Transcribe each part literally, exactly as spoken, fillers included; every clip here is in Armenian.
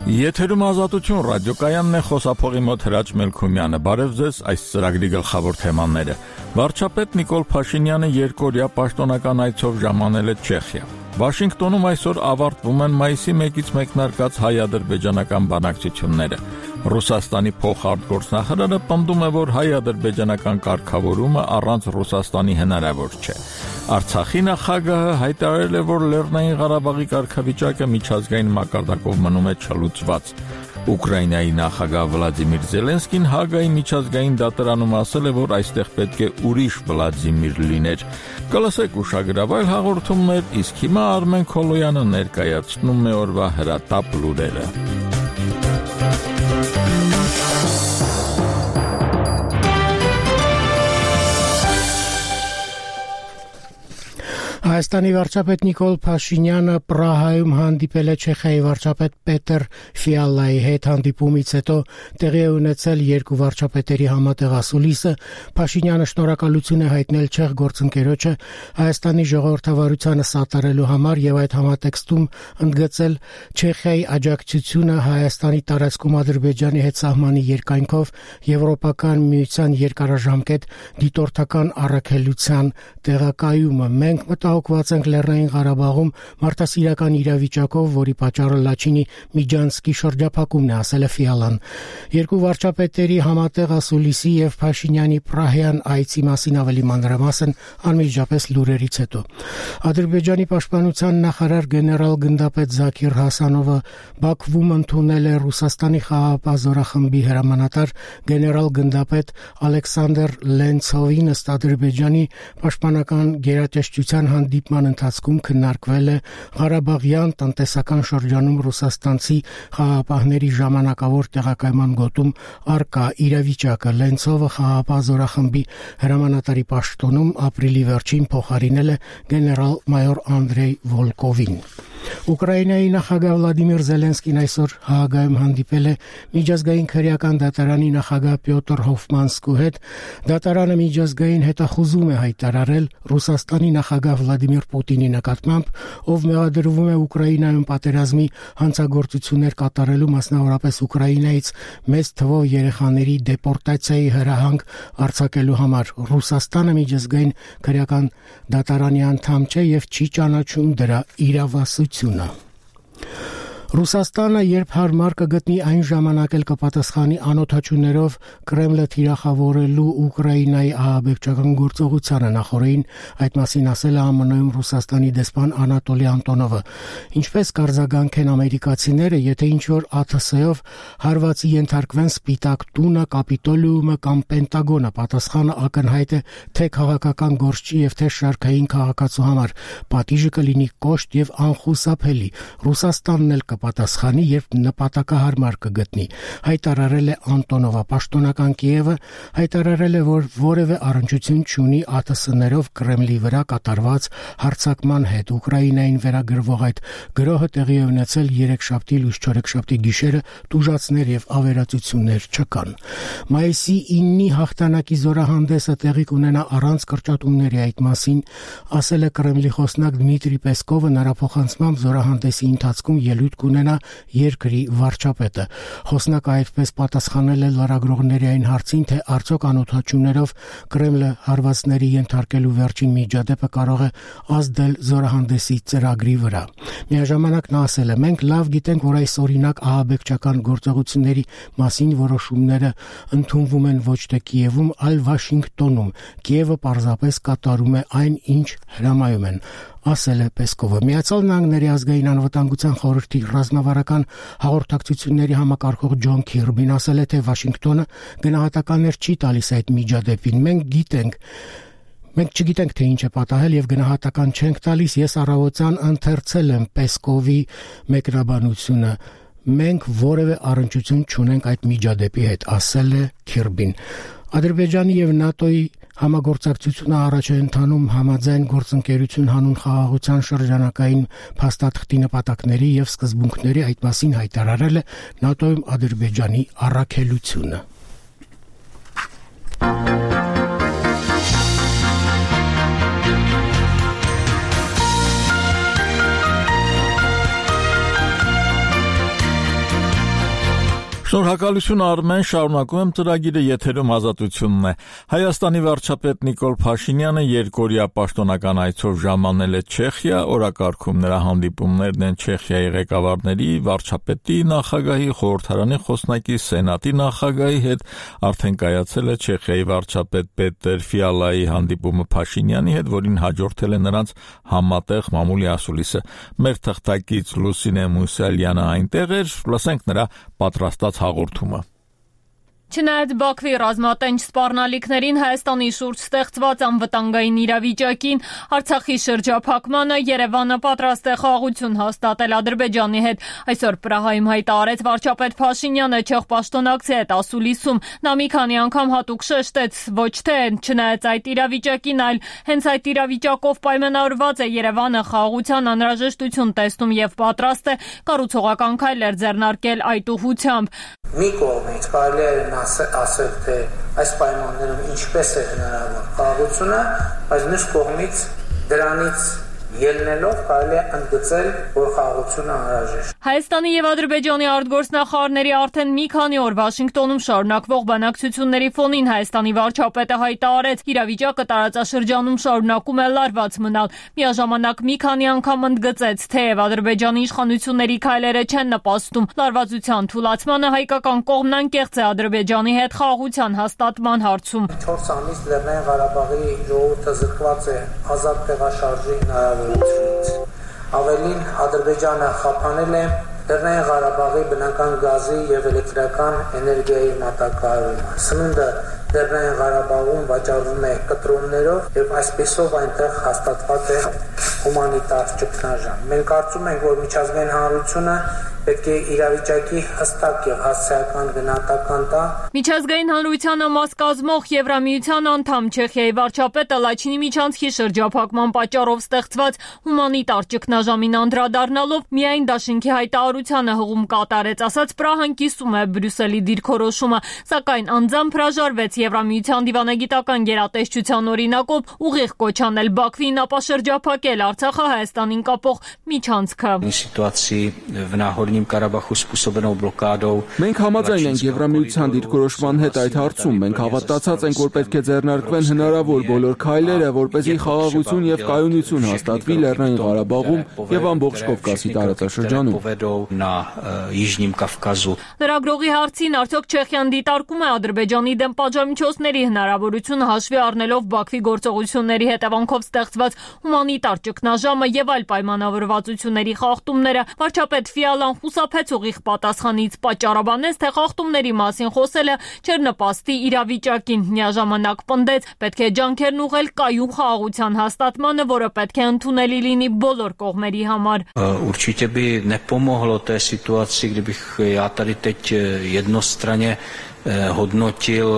Եթերում Ազատություն ռադիոկայանն է, խոսափողի մոտ Հրաչ Մելքումյանը։ Բարև ձեզ, այս ծրագրի գլխավոր թեմաները։ Վարչապետ Նիկոլ Փաշինյանը երկօրյա պաշտոնական այցով ժամանել է Չեխիա։ Վաշինգտոնում այսօր ավարտվում են մայիսի մեկից մեկնարկած հայ-ադրբեջանական բանակցությունները։ Ռուսաստանի փոխարտգործնախարարը պնդում է, որ հայ-ադրբեջանական կարգավորումը առանց Ռուսաստանի հնարավոր չէ։ Արցախի նախագահը հայտարարել է, որ Լեռնային Ղարաբաղի կարգավիճակը միջազգային մակարդակով մնում է չլուծված։ Ուկրաինայի նախագահ Վլադիմիր Զելենսկին Հագայի միջազգային դատարանում ասել է, որ այստեղ պետք է ուրիշ Վլադիմիր լիներ։ Կլսեք ուշագրավ այլ հաղորդումներ, իսկ հիմա Արմեն Քոլոյանը ներկայացնում է օրվա հրատապ լուրերը։ Հայաստանի վարչապետ Նիկոլ Փաշինյանը Պրահայում հանդիպել է Չեխիայի վարչապետ Պետեր Ֆիալայի հետ։ Հանդիպումից հետո տեղի է ունեցել երկու վարչապետերի համատեղ ասուլիսը։ Փաշինյանը շնորհակալություն է հայտնել չեխ գործընկերոջը Հայաստանի ժողովրդավարությանը սատարելու համար եւ այդ համատեքստում ընդգծել Չեխիայի աջակցությունը Հայաստանի տարածքում Ադրբեջանի հետ սահմանի երկայնքով Եվրոպական միության երկարաժամկետ դիտորդական առաքելության տեղակայումը։ Մենք մտահոգված ենք Լեռնային Ղարաբաղում մարդասիրական իրավիճակով, որի պատճառը Լաչինի Միջանցկի շրջափակումն է, ասել է Ֆիալան։ Երկու վարչապետերի համատեղ ասուլիսի եւ Փաշինյանի Պրահյան այցի մասին ավելի մանրամասն անմիջապես լուրերից հետո։ Ադրբեջանի պաշտպանության նախարար գեներալ գնդապետ Զաքիր Հասանովը Բաքվում ընդունել է Ռուսաստանի խաղաղապահ զորախմբի հրամանատար գեներալ գնդապետ Ալեքսանդր Լենցովին։ Ըստ Ադրբեջանի պաշտպանական գերատեսչության հանդիպման ընթացքում քննարկվել է Ղարաբաղյան տնտեսական շրջանում ռուսաստանցի խաղաղապահների ժամանակավոր տեղակայման գոտում առկա իրավիճակը։ Լենցովը խաղաղապահ զորախմբի հրամանատարի պաշտոնում ապրիլի վերջին փոխարինել է գեներալ-մայոր Անդրեյ Վոլկովին։ Ուկրաինայի նախագահ Վլադիմիր Զելենսկին այսօր Հաագայում հանդիպել է միջազգային քրեական դատարանի նախագահ Պյոտր Հոֆմանսկու հետ։ Դատարանը միջազգային հետախուզում է հայտարարել Ռուսաստանի նախագահ Վլադիմիր Պուտինի նկատմամբ, ով մեղադրվում է Ուկրաինայում պատերազմի հանցագործություններ կատարելու, մասնավորապես Ուկրաինայից մեծ թվով երեխաների դեպորտացիայի հրահանգ արձակելու համար։ Ռուսաստանը միջազգային քրեական դատարանի անդամ չէ եւ չի ճանաչում դրա իրավասությունը։ Ռուսաստանը, երբ հարմար կգտնի, այն ժամանակ էլ կպատասխանի անօթաչուներով Կրեմլը թիրախավորելու Ուկրաինայի ահաբեկչական գործողությանը։ Նախորդին այդ մասին ասել է ԱՄՆ-ում Ռուսաստանի դեսպան Անատոլի Անտոնովը։ Ինչպես կարձագանք են ամերիկացիները, եթե ինչ-որ ԱԹՍ-ով հարվածի ենթարկվեն Սպիտակ տունը, Կապիտոլիումը կամ Պենտագոնը, պատասխանը ակնհայտ է թե քաղաքական գործչի եւ թե շարքային քաղաքացու համար։ Պատիժը կլինի կոշտ եւ անխուսափելի։ Ռուսաստանն էլ պատասխանի, երբ նպատակահարմար կգտնի, հայտարարել է Անտոնովը։ Պաշտոնական Կիևը հայտարարել է, որ որևէ առնչություն չունի ԱԹՍ-ներով Կրեմլի վրա կատարված հարձակման հետ։ Ուկրաինային վերագրվող այդ գրոհը տեղի է ունեցել երեքշաբթի, լույս-չորեքշաբթի գիշերը, տուժածներ եւ ավերածություններ չկան։ Մայիսի իննի հաղթանակի զորահանդեսը տեղի կունենա առանց կրճատումների, այդ մասին ասել է Կրեմլի խոսնակ Դմիտրի Պեսկովը։ Նրա փոխանցմամբ զորահանդեսի ընթացքում ելույթ կունենա երկրի վարչապետը։ Խոսնակը այդպես պատասխանել է լրագրողների այն հարցին, թե արդյոք անօթաչուներով Կրեմլը հարվածների ենթարկելու վերջին միջադեպը կարող է ազդել զորահանդեսի ծրագրի վրա։ Միաժամանակ նա ասել է. «Մենք լավ գիտենք, որ այս օրինակ ահաբեկչական գործողությունների մասին որոշումները ընդունվում են ոչ թե Կիևում, այլ Վաշինգտոնում։ Կիևը պարզապես կատարում է այն, ինչ հրամայում են», ասել է Պեսկովը։ Միացյալ Նահանգների ազգային անվտանգության խորհրդի ռազմավարական հաղորդակցությունների համակարգող Ջոն Քիրբին ասել է, թե Վաշինգտոնը գնահատականներ չի տալիս այդ միջադեպին։ Մենք գիտենք Մենք չգիտենք, թե ինչ է պատահել եւ գնահատական չենք տալիս։ Ես առավոտյան ընթերցել եմ Պեսկովի մեկնաբանությունը։ Մենք որևէ առնչություն չունենք այդ միջադեպի հետ, ասել է Քիրբին։ Ադրբեջանի եւ ՆԱՏՕ-ի համագործակցությունը առաջ է ընթանում համաձայն գործընկերություն հանուն խաղաղության շրջանակային փաստաթղթի նպատակների եւ սկզբունքների, այդ մասին հայտարարել է ՆԱՏՕ-ում Ադրբեջանի առաքելությունը։ Շնորհակալություն Արմեն, շարունակում եմ ծրագիրը, եթերում Ազատությունն է։ Հայաստանի վարչապետ Նիկոլ Փաշինյանը երկօրյա պաշտոնական այցով ժամանել է Չեխիա, օրակարգում նրա հանդիպումներն են Չեխիայի ղեկավարների, վարչապետի, նախագահի, խորհրդարանի խոսնակի, սենատի նախագահի հետ, արդեն կայացել է Չեխիայի վարչապետ Պետեր Ֆիալայի հանդիպումը Փաշինյանի հետ, որին հաջորդել է նրանց համատեղ մամուլի ասուլիսը։ Մեր թղթակից Լուսինե Մուսալյանը այնտեղ էր, լսենք նրա պատրաստած հաղորդումը։ Չնայած Բաքվի ռազմատենչ սպառնալիքներին, Հայաստանի շուրջ ստեղծված անվտանգային իրավիճակին, Արցախի շրջափակմանը, Երևանը պատրաստ է խաղաղություն հաստատել Ադրբեջանի հետ։ Այսօր Պրահայում հայտարարեց վարչապետ Փաշինյանը չեխ պաշտոնակցի հետ ասուլիսում։ Նա մի քանի անգամ հատուկ շեշտեց, ոչ թե չնայած այդ իրավիճակին, այլ հենց այդ իրավիճակով պայմանավորված է Երևանը խաղաղության անհրաժեշտություն տեսնում եւ պատրաստ է կառուցողական քայլեր ձեռնարկել այդ ուղղությամբ։ Մի կողմից կարելի է ասել, թե այս պայմաններում ինչպես է հնարավոր խաղաղությունը, բայց մյուս կողմից դրանից ելնելով կարելի է ընդգծել, որ խաղաղությունը անհրաժեշտ է։ Հայաստանի եւ Ադրբեջանի արտգործնախարարների արդեն մի քանի օր Վաշինգտոնում շարունակվող բանակցությունների ֆոնին Հայաստանի վարչապետը հայտարարեց, իրավիճակը տարածաշրջանում շարունակում է լարված մնալ։ Միաժամանակ մի քանի անգամ ընդգծեց, թեև Ադրբեջանի իշխանությունների քայլերը չեն նպաստում լարվածության թուլացմանը, հայկական կողմն անկեղծ է Ադրբեջանի հետ խաղաղության հաստատման հարցում։ չորս ամիս Լեռնային Ղարաբաղի ժողովուրդը զրկված է ազատ տեղաշարժի հնարավորությունից։ Ավելին, Ադրբեջանը խափանել է Լեռնային Ղարաբաղի բնական գազի եւ էլեկտրական էներգիայի մատակարարումը։ Սնունդը Լեռնային Ղարաբաղում վաճառվում է կտրոններով եւ այսպեսով այնտեղ հաստատված է հումանիտար ճգնաժամ։ Մենք կարծում ենք, որ միջազգային հանրությունը պետք է իրավիճակի հստակ եւ հասարակական գնահատական տա։ Միջազգային հանրությանը մաս կազմող Եվրամիության անդամ Չեխիայի վարչապետը Լաչինի միջանցքի շրջափակման պատճառով ստեղծված հումանիտար ճգնաժամին անդրադառնալով միայն դաշինքի հայտարարությանը հղում կատարեց, ասաց Պրահան կիսում է Բրյուսելի դիրքորոշումը, սակայն անձամբ հրաժարվեց Եվրամիության դիվանագիտական գերատեսչության օրինակով ուղիղ կոչ անել Բաքվին ապաշրջափակել Արցախը Հայաստանին կապող միջանցքը։ Մենք համաձայն ենք Եվրամիության դիրքորոշման հետ այդ հարցում, մենք հավատացած ենք, որ պետք է ձեռնարկվեն հնարավոր բոլոր քայլերը, որպեսզի խաղաղություն եւ կայունություն հաստատվի Լեռնային Ղարաբաղում եւ ամբողջ Կովկասի տարածաշրջանում։ Լրագրողի հարցին, արդյոք Չեխիան դիտարկում է Ադրբեջանի դեմ պատժամիջոցների հնարավորությունը հաշվի առնելով Բաքվի գործողությունների հետևանքով ստեղծված հումանիտար ճգնաժամը եւ այլ պայմանավորվածությունների խախտումները, վարչապետ Ֆիալան խուսափեց ուղիղ պատասխանից, պատճառաբանեց, թե խախտումների մասին խոսելը չէր նպաստի իրավիճակին, միաժամանակ պնդեց, պետք է ջանքերն ուղղել կայուն խաղաղության հաստատմանը, որը պետք է ընդունելի լինի բոլոր կողմերի համար։ Určitě by nepomohlo té situaci, kdybych já tady teď jednostranně hodnotil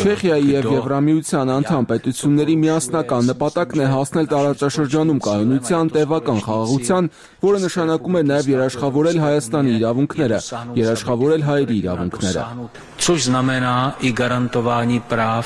Չեխիայի եւ Եվրամիության անդամ պետությունների միասնական նպատակն է հասնել տարածաշրջանում կայունության, տևական խաղաղության, որը նշանակում է նաեւ երաշխավորել Հայաստանի իրավունքները, երաշխավորել հայերի իրավունքները։ Což znamená i garantování práv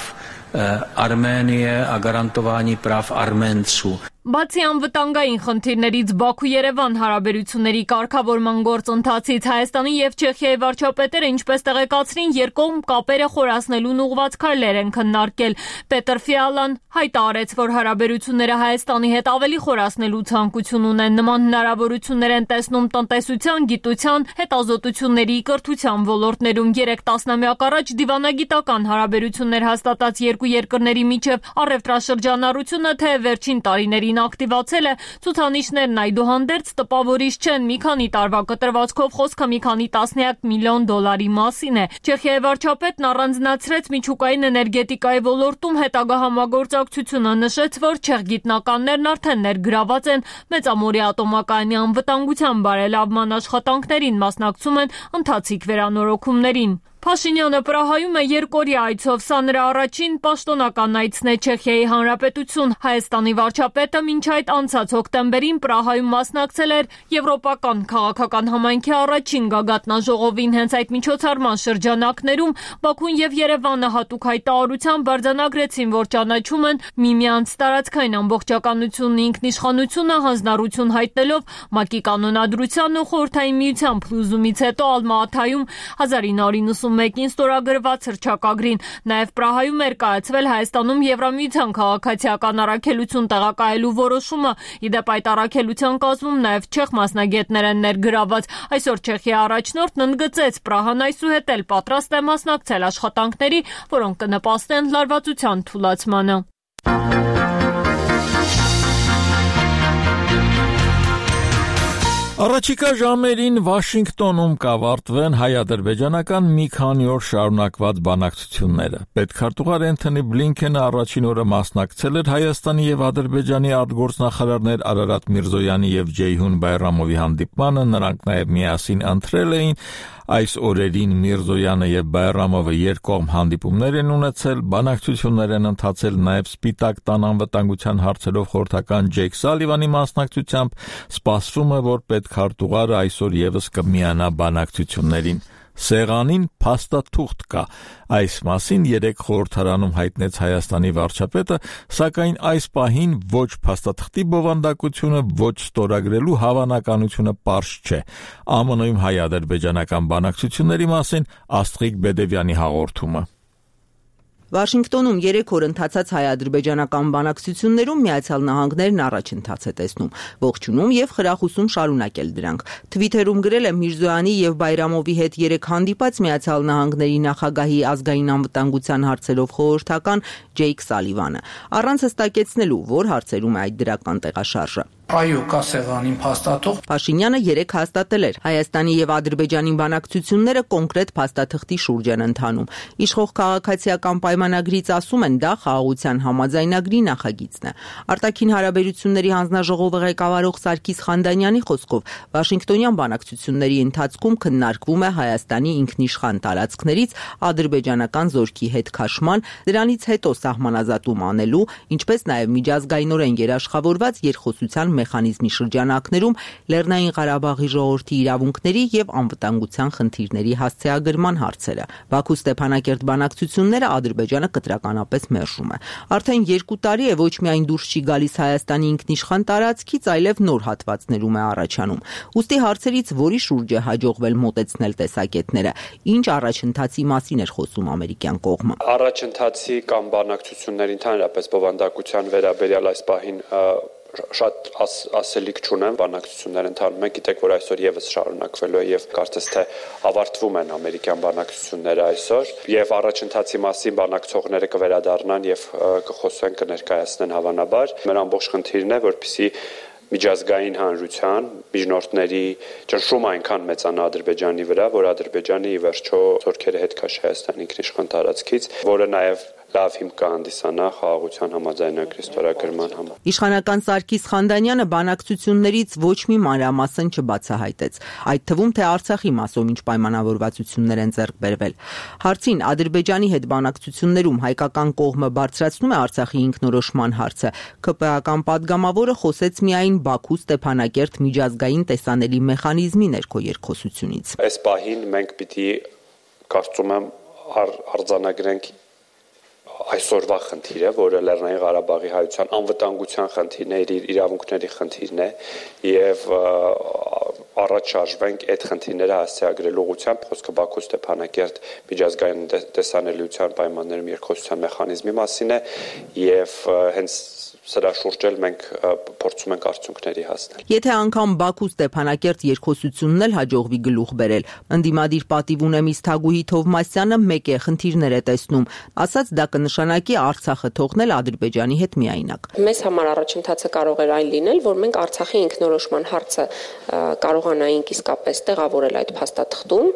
Arménie a garantování práv Arménců. Բացի անվտանգային խնդիրներից Բաքու-Երևան հարաբերությունների կարգավորման գործընթացից Հայաստանի եւ Չեխիայի վարչապետերը ինչպես տեղեկացրին, երկկողմ կապերը խորացնելուն ուղղված քայլեր են քննարկել։ Պետեր Ֆիալան հայտարարեց, որ հարաբերությունները Հայաստանի հետ ավելի խորացնելու ցանկություն ունեն, նման հնարավորություններ են տեսնում տնտեսության, գիտության, հետազոտությունների, կրթության ոլորտներում։ Երեք տասնամյակ առաջ դիվանագիտական հարաբերություններ հաստատած երկու երկրների միջև առևտրաշրջանառությունը թե վերջին տարիների ակտիվացել է, ցուցանիշներն այդուհանդերձ տպավորիչ չեն, մի քանի տարվա կտրվածքով խոսքը մի քանի տասնյակ միլիոն դոլարի մասին է։ Չեխիայի վարչապետն առանձնացրեց միջուկային էներգետիկայի ոլորտում հետագա համագործակցությունը, նշեց, որ չեխ գիտնականներն արդեն ներգրաված են Մեծամորի ատոմակայանի անվտանգության բարելավման աշխատանքներին, մասնակցում են ընթացիկ վերանորոգումներին։ Փաշինյանը Պրահայում է երկօրյա այցով, սա նրա առաջին պաշտոնական այցն է Չեխիայի Հանրապետություն։ Հայաստանի վարչապետը մինչ այդ անցած հոկտեմբերին Պրահայում մասնակցել էր Եվրոպական քաղաքական համայնքի առաջին գագաթնաժողովին։ Հենց այդ միջոցառման շրջանակներում Բաքուն եւ Երևանը հատուկ հայտարարությամբ արձանագրեցին, որ ճանաչում են միմյանց տարածքային ամբողջականությունն, ինքնիշխանությունը, հանձնառություն հայտնելով ՄԱԿ-ի կանոնադրությանն ու Խորհրդային Միության փլուզումից հետո Ալմա-Աթայում հազար ինը հարյուր նվաթմեկին ստորագրված հռչակագրին։ Նաև Պրահայում էր կայացվել Հայաստանում Եվրամիության քաղաքացիական առաքելություն տեղակայելու որոշումը։ Ի դեպ, այդ առաքելության կազմում նաև չեխ մասնագետներ են ներգրաված։ Այսօր Չեխիայի առաջնորդն ընդգծեց, Պրահան այսուհետ էլ պատրաստ է մասնակցել աշխատանքների, որոնք կնպաստեն լարվածության թուլացմանը։ Առաջիկա ժամերին Վաշինգտոնում կավարտվեն հայ-ադրբեջանական մի քանի օր շարունակված բանակցությունները։ Պետքարտուղար Էնթոնի Բլինքենը առաջին օրը մասնակցել էր Հայաստանի եւ Ադրբեջանի արտգործնախարարներ Արարատ Միրզոյանի եւ Ջեյհուն Բայրամովի հանդիպմանը, նրանք նաեւ միասին ընտրել էին այս օրերին Միրզոյանը եւ Բայրամովը երկկողմ հանդիպումներ են ունեցել, բանակցություններ են ընթացել նաեւ Սպիտակ տան անվտանգության հարցերով խորհրդական Ջեյք Սալիվանի մասնակցությամբ, սպասվում է, որ պետքարտուղարը այսօր եւս կմիանա բանակցություններին։ Սեղանին փաստաթուղթ կա։ Այս մասին երեք խորհրդարանում հայտնեց Հայաստանի վարչապետը, սակայն այս պահին ոչ փաստաթղթի բովանդակությունը, ոչ ստորագրելու հավանականությունը պարզ չէ։ ԱՄՆ-ում հայ-ադրբեջանական բանակցությունների մասին Աստղիկ Բեդևյանի հաղորդումը։ Վաշինգտոնում երեք օր ընթացած հայ-ադրբեջանական բանակցություններում Միացյալ Նահանգներն առաջընթաց է տեսնում, ողջունում եւ խրախուսում շարունակել դրանք։ Թվիթերում գրել է Միրզոյանի եւ Բայրամովի հետ երեք հանդիպած Միացյալ Նահանգների նախագահի ազգային անվտանգության հարցերով խորհրդական Ջեյք Սալիվանը, առանց հստակեցնելու, որ հարցերում է այդ դրական տեղաշարժը։ Այո, կա սեղանին փաստաթուղթ։ Փաշինյանը երեք հաստատել էր, Հայաստանի եւ Ադրբեջանի բանակցությունները կոնկրետ փաստաթղթի շուրջ են ընթանում։ Իշխող քաղաքացիական պայմանագրից ասում են, դա խաղաղության համաձայնագրի նախագիծն է։ Արտաքին հարաբերությունների հանձնաժողովը ղեկավարող Սարգիս Խանդանյանի խոսքով Վաշինգտոնյան բանակցությունների ընթացքում քննարկվում է Հայաստանի ինքնիշխան տարածքներից ադրբեջանական զորքի հետ քաշման, դրանից հետո սահմանազատում անելու, ինչպես նաեւ միջազգայինորեն երաշխավորված երկխոսության մեխանիզմի շրջանակներում Լեռնային Ղարաբաղի ժողովրդի իրավունքների եւ անվտանգության խնդիրների հասցեագրման հարցերը։ Բաքու-Ստեփանակերտ բանակցությունները Ադրբեջանը կտրականապես մերժում է։ Արդեն երկու տարի է ոչ միայն դուրս չի գալիս Հայաստանի ինքնիշխան տարածքից, այլև նոր հատվածներում է առաջանում։ Ուստի հարցերից որի շուրջ է հաջողվել մոտեցնել տեսակետները, ինչ առաջընթացի մասին էր խոսում ամերիկյան կողմը։ Առաջընթացի կամ բանակցությունների ընդհանրապես բովանդակության վերաբերյալ այս պահին շատ աս, ասելիք չունեմ, բանակցություններ ընթանում են, գիտեք, որ այսօր եւս շարունակվելու է եւ կարծես թե ավարտվում են ամերիկյան բանակցությունները այսօր եւ առաջընթացի մասին բանակցողները կվերադառնան եւ կխոսեն, կներկայացնեն հավանաբար։ Մեր ամբողջ խնդիրն է, որպեսզի միջազգային հանրության միջնորդների ճնշումը այնքան մեծանա Ադրբեջանի վրա, որ Ադրբեջանը ի վերջո զորքերը հետ քաշի Հայաստանի ինքնիշխան տարածքից, որը նաեւ լավ հիմք կհանդիսանա խաղաղության համաձայնագրի ստորագրման համար։ Իշխանական Սարգիս Խանդանյանը բանակցություններից ոչ մի մանրամասն չբացահայտեց, այդ թվում թե Արցախի մասով ինչ պայմանավորվածություններ են ձեռք բերվել։ Հարցին Ադրբեջանի հետ բանակցություններում հայկական կողմը բարձրացնում է Արցախի ինքնորոշման հարցը, ԿՊԱ-ական падգամավորը խոսեց միայն Բաքու-Ստեփանակերտ միջազգային տեսանելի մեխանիզմի ներքո երկխոսությունից։ Այս պահին մենք պիտի կարծում եմ արձանագրենք այսօրվա խնդիրը, որը Լեռնային Ղարաբաղի հայության անվտանգության խնդիրն է, իր իրավունքների խնդիրն է եւ առաջ շարժվենք այդ խնդիրները հասցեագրելու ուղղությամբ, խոսքը Բաքու-Ստեփանակերտ միջազգային տեսանելիության պայմաններում երկխոսության մեխանիզմի մասին է եւ հենց սրա շուրջ էլ մենք փորձում ենք արդյունքների հասնել։ Եթե անգամ Բաքու-Ստեփանակերտ երկխոսությունն էլ հաջողվի գլուխ բերել, ընդդիմադիր պատիվ ունեմից Թագուհի Թովմասյանը մեկ է խնդիրներ է տեսնում, ասաց դա կնշանակի Արցախը թողնել Ադրբեջանի հետ միայնակ։ Մեզ համար առաջընթացը կարող էր այն լինել, որ մենք Արցախի ինքնորոշման հարցը կարողանայինք իսկապես տեղավորել այդ փաստաթղթում,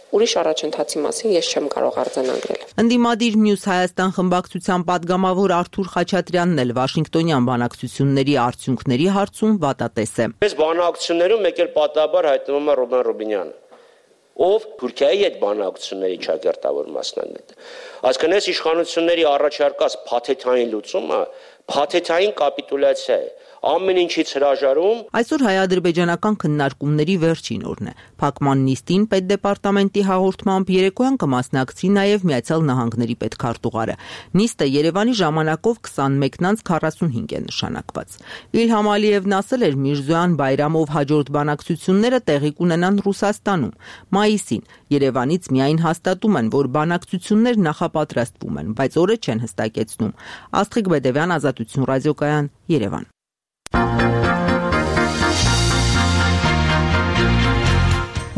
ուրիշ առաջընթացի մասին ես չեմ կարող արձանագրել։ Ընդդիմադիր Մյուս Հայաստան խմբակցության падգամավոր Արթուր Խաչատրյանն էլ Վաշինգտոնյան բանակցությունների արդյունքների հարցում վատատես է։ Այս բանակցություններում մեկ էլ պատահաբար հայտնվում է Ռոբեն Ռոբինյանը, ով Թուրքիայի հետ բանակցությունների ճակերտավոր մասնագետ է։ Այսինքն իշխանությունների առաջարկած փաթեթային լուծումը փաթեթային կապիտուլյացիա է։ Ամեն ինչից հրաժարում։ Այսօր հայ-ադրբեջանական քննարկումների վերջին օրն է։ Փակման նիստին պետդեպարտամենտի հաղորդմամբ երեկոյան կմասնակցի նաև Միացյալ Նահանգների պետքարտուղարը։ Նիստը Երևանի ժամանակով քսանմեկն անց քառասունհինգ է նշանակված։ Իլհամ Ալիևն ասել էր Միրզոյան Բայրամով հաջորդ բանակցությունները տեղի կունենան Ռուսաստանում։ Մայիսին Երևանից միայն հաստատում են, որ բանակցություններ նախապատրաստվում են, բայց օրը չեն հստակեցնում։ Աստղիկ Բեդևյան, Ազատություն ռադիոկայան, Երևան։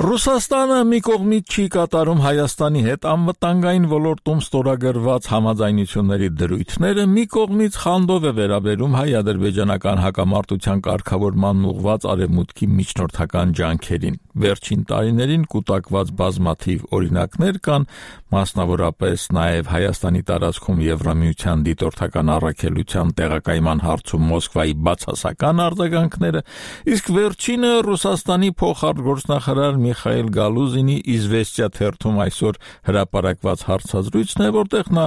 Ռուսաստանը մի կողմից չի կատարում Հայաստանի հետ անվտանգային ոլորտում ստորագրված համաձայնությունների դրույթները, մի կողմից խանդով է վերաբերում հայ-ադրբեջանական հակամարտության կարգավորման ուղղված արևմուտքի միջնորդական ջանքերին։ Վերջին տարիներին կուտակված բազմաթիվ օրինակներ կան, մասնավորապես նաև Հայաստանի տարածքում Եվրամիության դիտորդական առաքելության տեղակայման հարցում Մոսկվայի բացասական արձագանքները, իսկ վերջինը Ռուսաստանի փոխարտգործնախարար Միխայիլ Գալուզինի «Իզվեստիա» թերթում այսօր հրապարակված հարցազրույցն է, որտեղ նա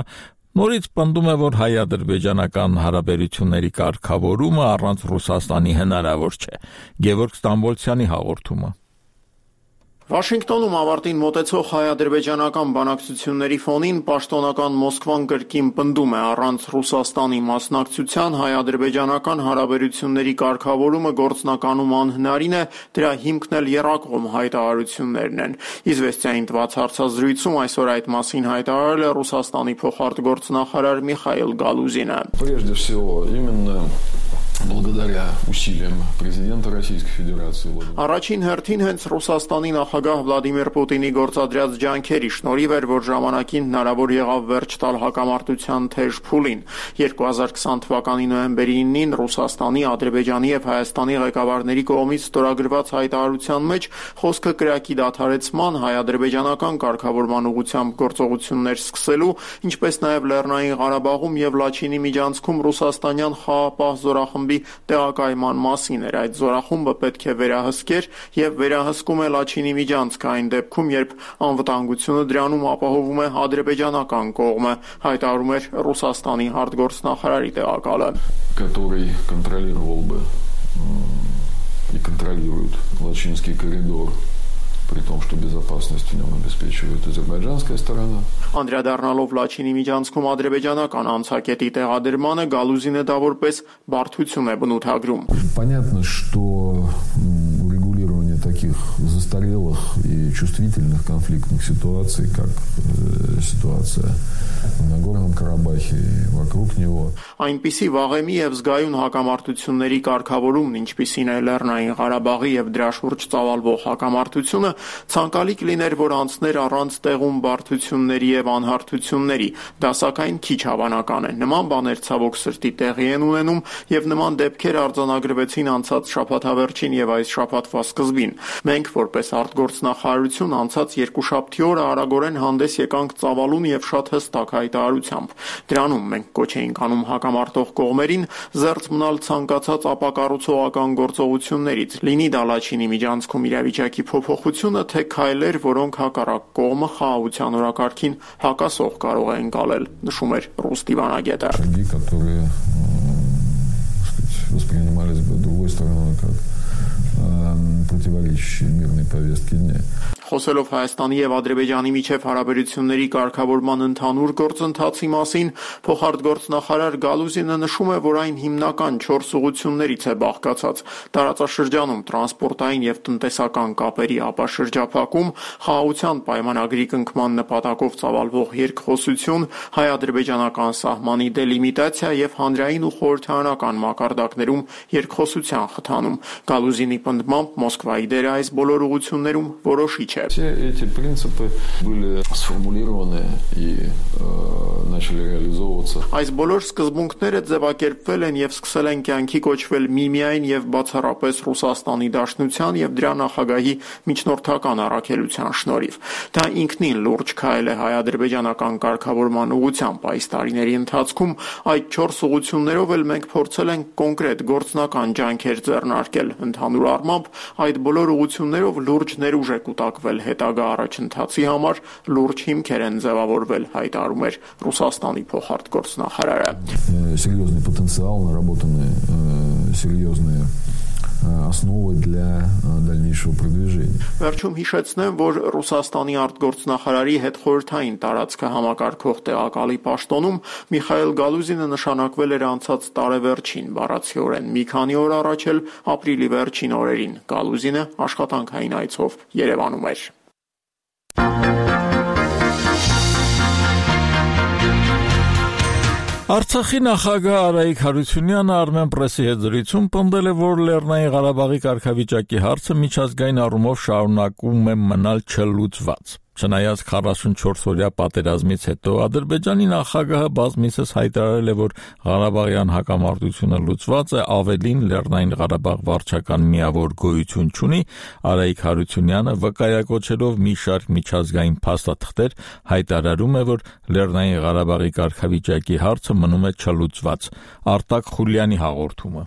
նորից պնդում է, որ հայ-ադրբեջանական հարաբերությունների կարգավորումը առանց Ռուսաստանի հնարավոր չէ։ Գևորգ Ստամբոլցյանի հաղորդումը։ Վաշինգտոնում ավարտին մոտեցող հայ-ադրբեջանական բանակցությունների ֆոնին պաշտոնական Մոսկվան կրկին պնդում է առանց Ռուսաստանի մասնակցության հայ-ադրբեջանական հարաբերությունների կարգավորումը գործնականում անհնարին է, դրա հիմքն էլ եռակողմ հայտարարություններն են։ Իզվեստիային տված հարցազրույցում այսօր այդ մասին հայտարարել է Ռուսաստանի փոխարտգործնախարար Միխայիլ Գալուզինը։ Прежде всего, именно благодаря усилиям президента Российской Федерации. Առաջին հերթին հենց Ռուսաստանի նախագահ Վլադիմիր Պուտինի գործադրած ջանքերի շնորհիվ էր, որ ժամանակին հնարավոր եղավ վերջ տալ հակամարտության թեժ փուլին։ երկու հազար քսան թվականի նոյեմբերի իննին Ռուսաստանի, Ադրբեջանի եւ Հայաստանի ղեկավարների կողմից ստորագրված հայտարարության մեջ խոսքը կրակի դադարեցման, հայ-ադրբեջանական կարգավորման ուղղությամբ գործողություններ սկսելու, ինչպես նաեւ Լեռնային Ղարաբաղում եւ Լաչինի միջանցքում ռուսաստանյան խաղաղապահ զորախմբի տեղակայման մասին էր։ Այդ զորախումբը պետք է վերահսկեր եւ վերահսկում է Լաչինի միջանցքը այն դեպքում, երբ անվտանգությունը դրանում ապահովում է ադրբեջանական կողմը, հայտարարում էր Ռուսաստանի արտգործնախարարի տեղակալը, который контролировал бы и контролирует Лачинский коридор, при том, что безопасность в нем обеспечивает азербайджанская сторона. Անդրադառնալով Լաչինի միջանցքում ադրբեջանական անցակետի տեղադրմանը Գալուզինը դա որպես բարդություն է բնութագրում։ Понятно, что урегулирование таких застарелых и чувствительных конфликтных ситуаций, как э, ситуация в Нагорном Карабахе и вокруг него. Այնպիսի վաղեմի եւ զգայուն հակամարտությունների կարգավորումն, ինչպիսին է Լեռնային Ղարաբաղի եւ դրա շուրջ ծավալվող հակամարտությունը, ցանկալի կլիներ, որ անցներ առանց տեղում բարդությունների եւ անհարթությունների։ Դա սակայն քիչ հավանական է։ Նման բաներ ցավոք սրտի տեղի են ունենում եւ նման դեպքեր արձանագրվեցին անցած շաբաթավերջին եւ այս շաբաթվա սկզբին։ Մենք որպես արտգործնախարարություն անցած երկուշաբթի օրը արագորեն հանդես եկանք ծավալուն եւ շատ հստակ հայտարարությամբ։ Դրանում մենք կոչ էինք անում հակամարտող կողմերին զերծ մնալ ցանկացած ապակառուցողական գործողություններից, լինի դա Լաչինի միջանցքում իրավիճակի փոփոխությունը, թե քայլեր, որոնք հակառակ կողմը խաղաղության օրակարգին հակասող կարող է ընկալել, նշում էր ռուս դիվանագետը։ Шаги, которые, сказать, воспринимались бы другой стороной как противоречащие мирной повестке дня. Խոսելով Հայաստանի եւ Ադրբեջանի միջև հարաբերությունների կարգավորման ընդհանուր գործընթացի մասին, փոխարտգործնախարար Գալուզինը նշում է, որ այն հիմնական չորս ուղղություններից է բաղկացած՝ տարածաշրջանում տրանսպորտային եւ տնտեսական կապերի ապաշրջափակում, խաղաղության պայմանագրի կնքման նպատակով ծավալվող երկխոսություն, հայ-ադրբեջանական սահմանի դելիմիտացիա եւ հանրային ու խորհրդարանական մակարդակներում երկխոսության խթանում։ Գալուզինի պնդմամբ Մոսկվայի դերը այս բոլոր ուղղություններում որոշիչ է։ Все эти принципы были сформулированы и э, начали реализовываться. Այս բոլոր սկզբունքները ձևակերպվել են եւ սկսել են կյանքի կոչվել միմիայն եւ բացառապես Ռուսաստանի Դաշնության եւ դրա նախագահի միջնորդական առաքելության շնորհիվ։ Դա ինքնին լուրջ քայլ է հայ-ադրբեջանական կարգավորման ուղղությամբ։ Այս տարիների ընթացքում այդ չորս ուղղություններով էլ մենք փորձել ենք կոնկրետ գործնական ջանքեր ձեռնարկել։ Ընդհանուր առմամբ այդ բոլոր ուղղություններով լուրջ ներուժ է կուտակվել նշանակվել հետագա առաջընթացի համար լուրջ հիմքեր են ձևավորվել, հայտարարում էր Ռուսաստանի փոխարտգործնախարարը։ Серьезный потенциал, наработаны серьезные основы для дальнейшего продвижения. Վերջում հիշեցնեմ, որ Ռուսաստանի արտգործնախարարի հետ խորհրդային տարածքը համակարգող տեղակալի պաշտոնում Միխայել Գալուզինը նշանակվել էր անցած տարեվերջին, բառացիորեն մի քանի օր առաջ էլ ապրիլի վերջին օրերին Գալուզինը աշխատանքային այցով Երևանում էր։ Արցախի նախագահ Արայիկ Հարությունյանը Armenpress-ի հետ զրույցում պնդել է, որ Լեռնային Ղարաբաղի կարգավիճակի հարցը միջազգային առումով շարունակում է մնալ չլուծված։ Չնայած քառասունչորս-օրյա պատերազմից հետո Ադրբեջանի նախագահը բազմիցս հայտարարել է, որ Ղարաբաղյան հակամարտությունը լուծված է, ավելին Լեռնային Ղարաբաղ վարչական միավոր գոյություն չունի, Արայիկ Հարությունյանը վկայակոչելով մի շարք միջազգային փաստաթղթեր հայտարարում է, որ Լեռնային Ղարաբաղի կարգավիճակի հարցը մնում է չլուծված։ Արտակ Խուլյանի հաղորդումը։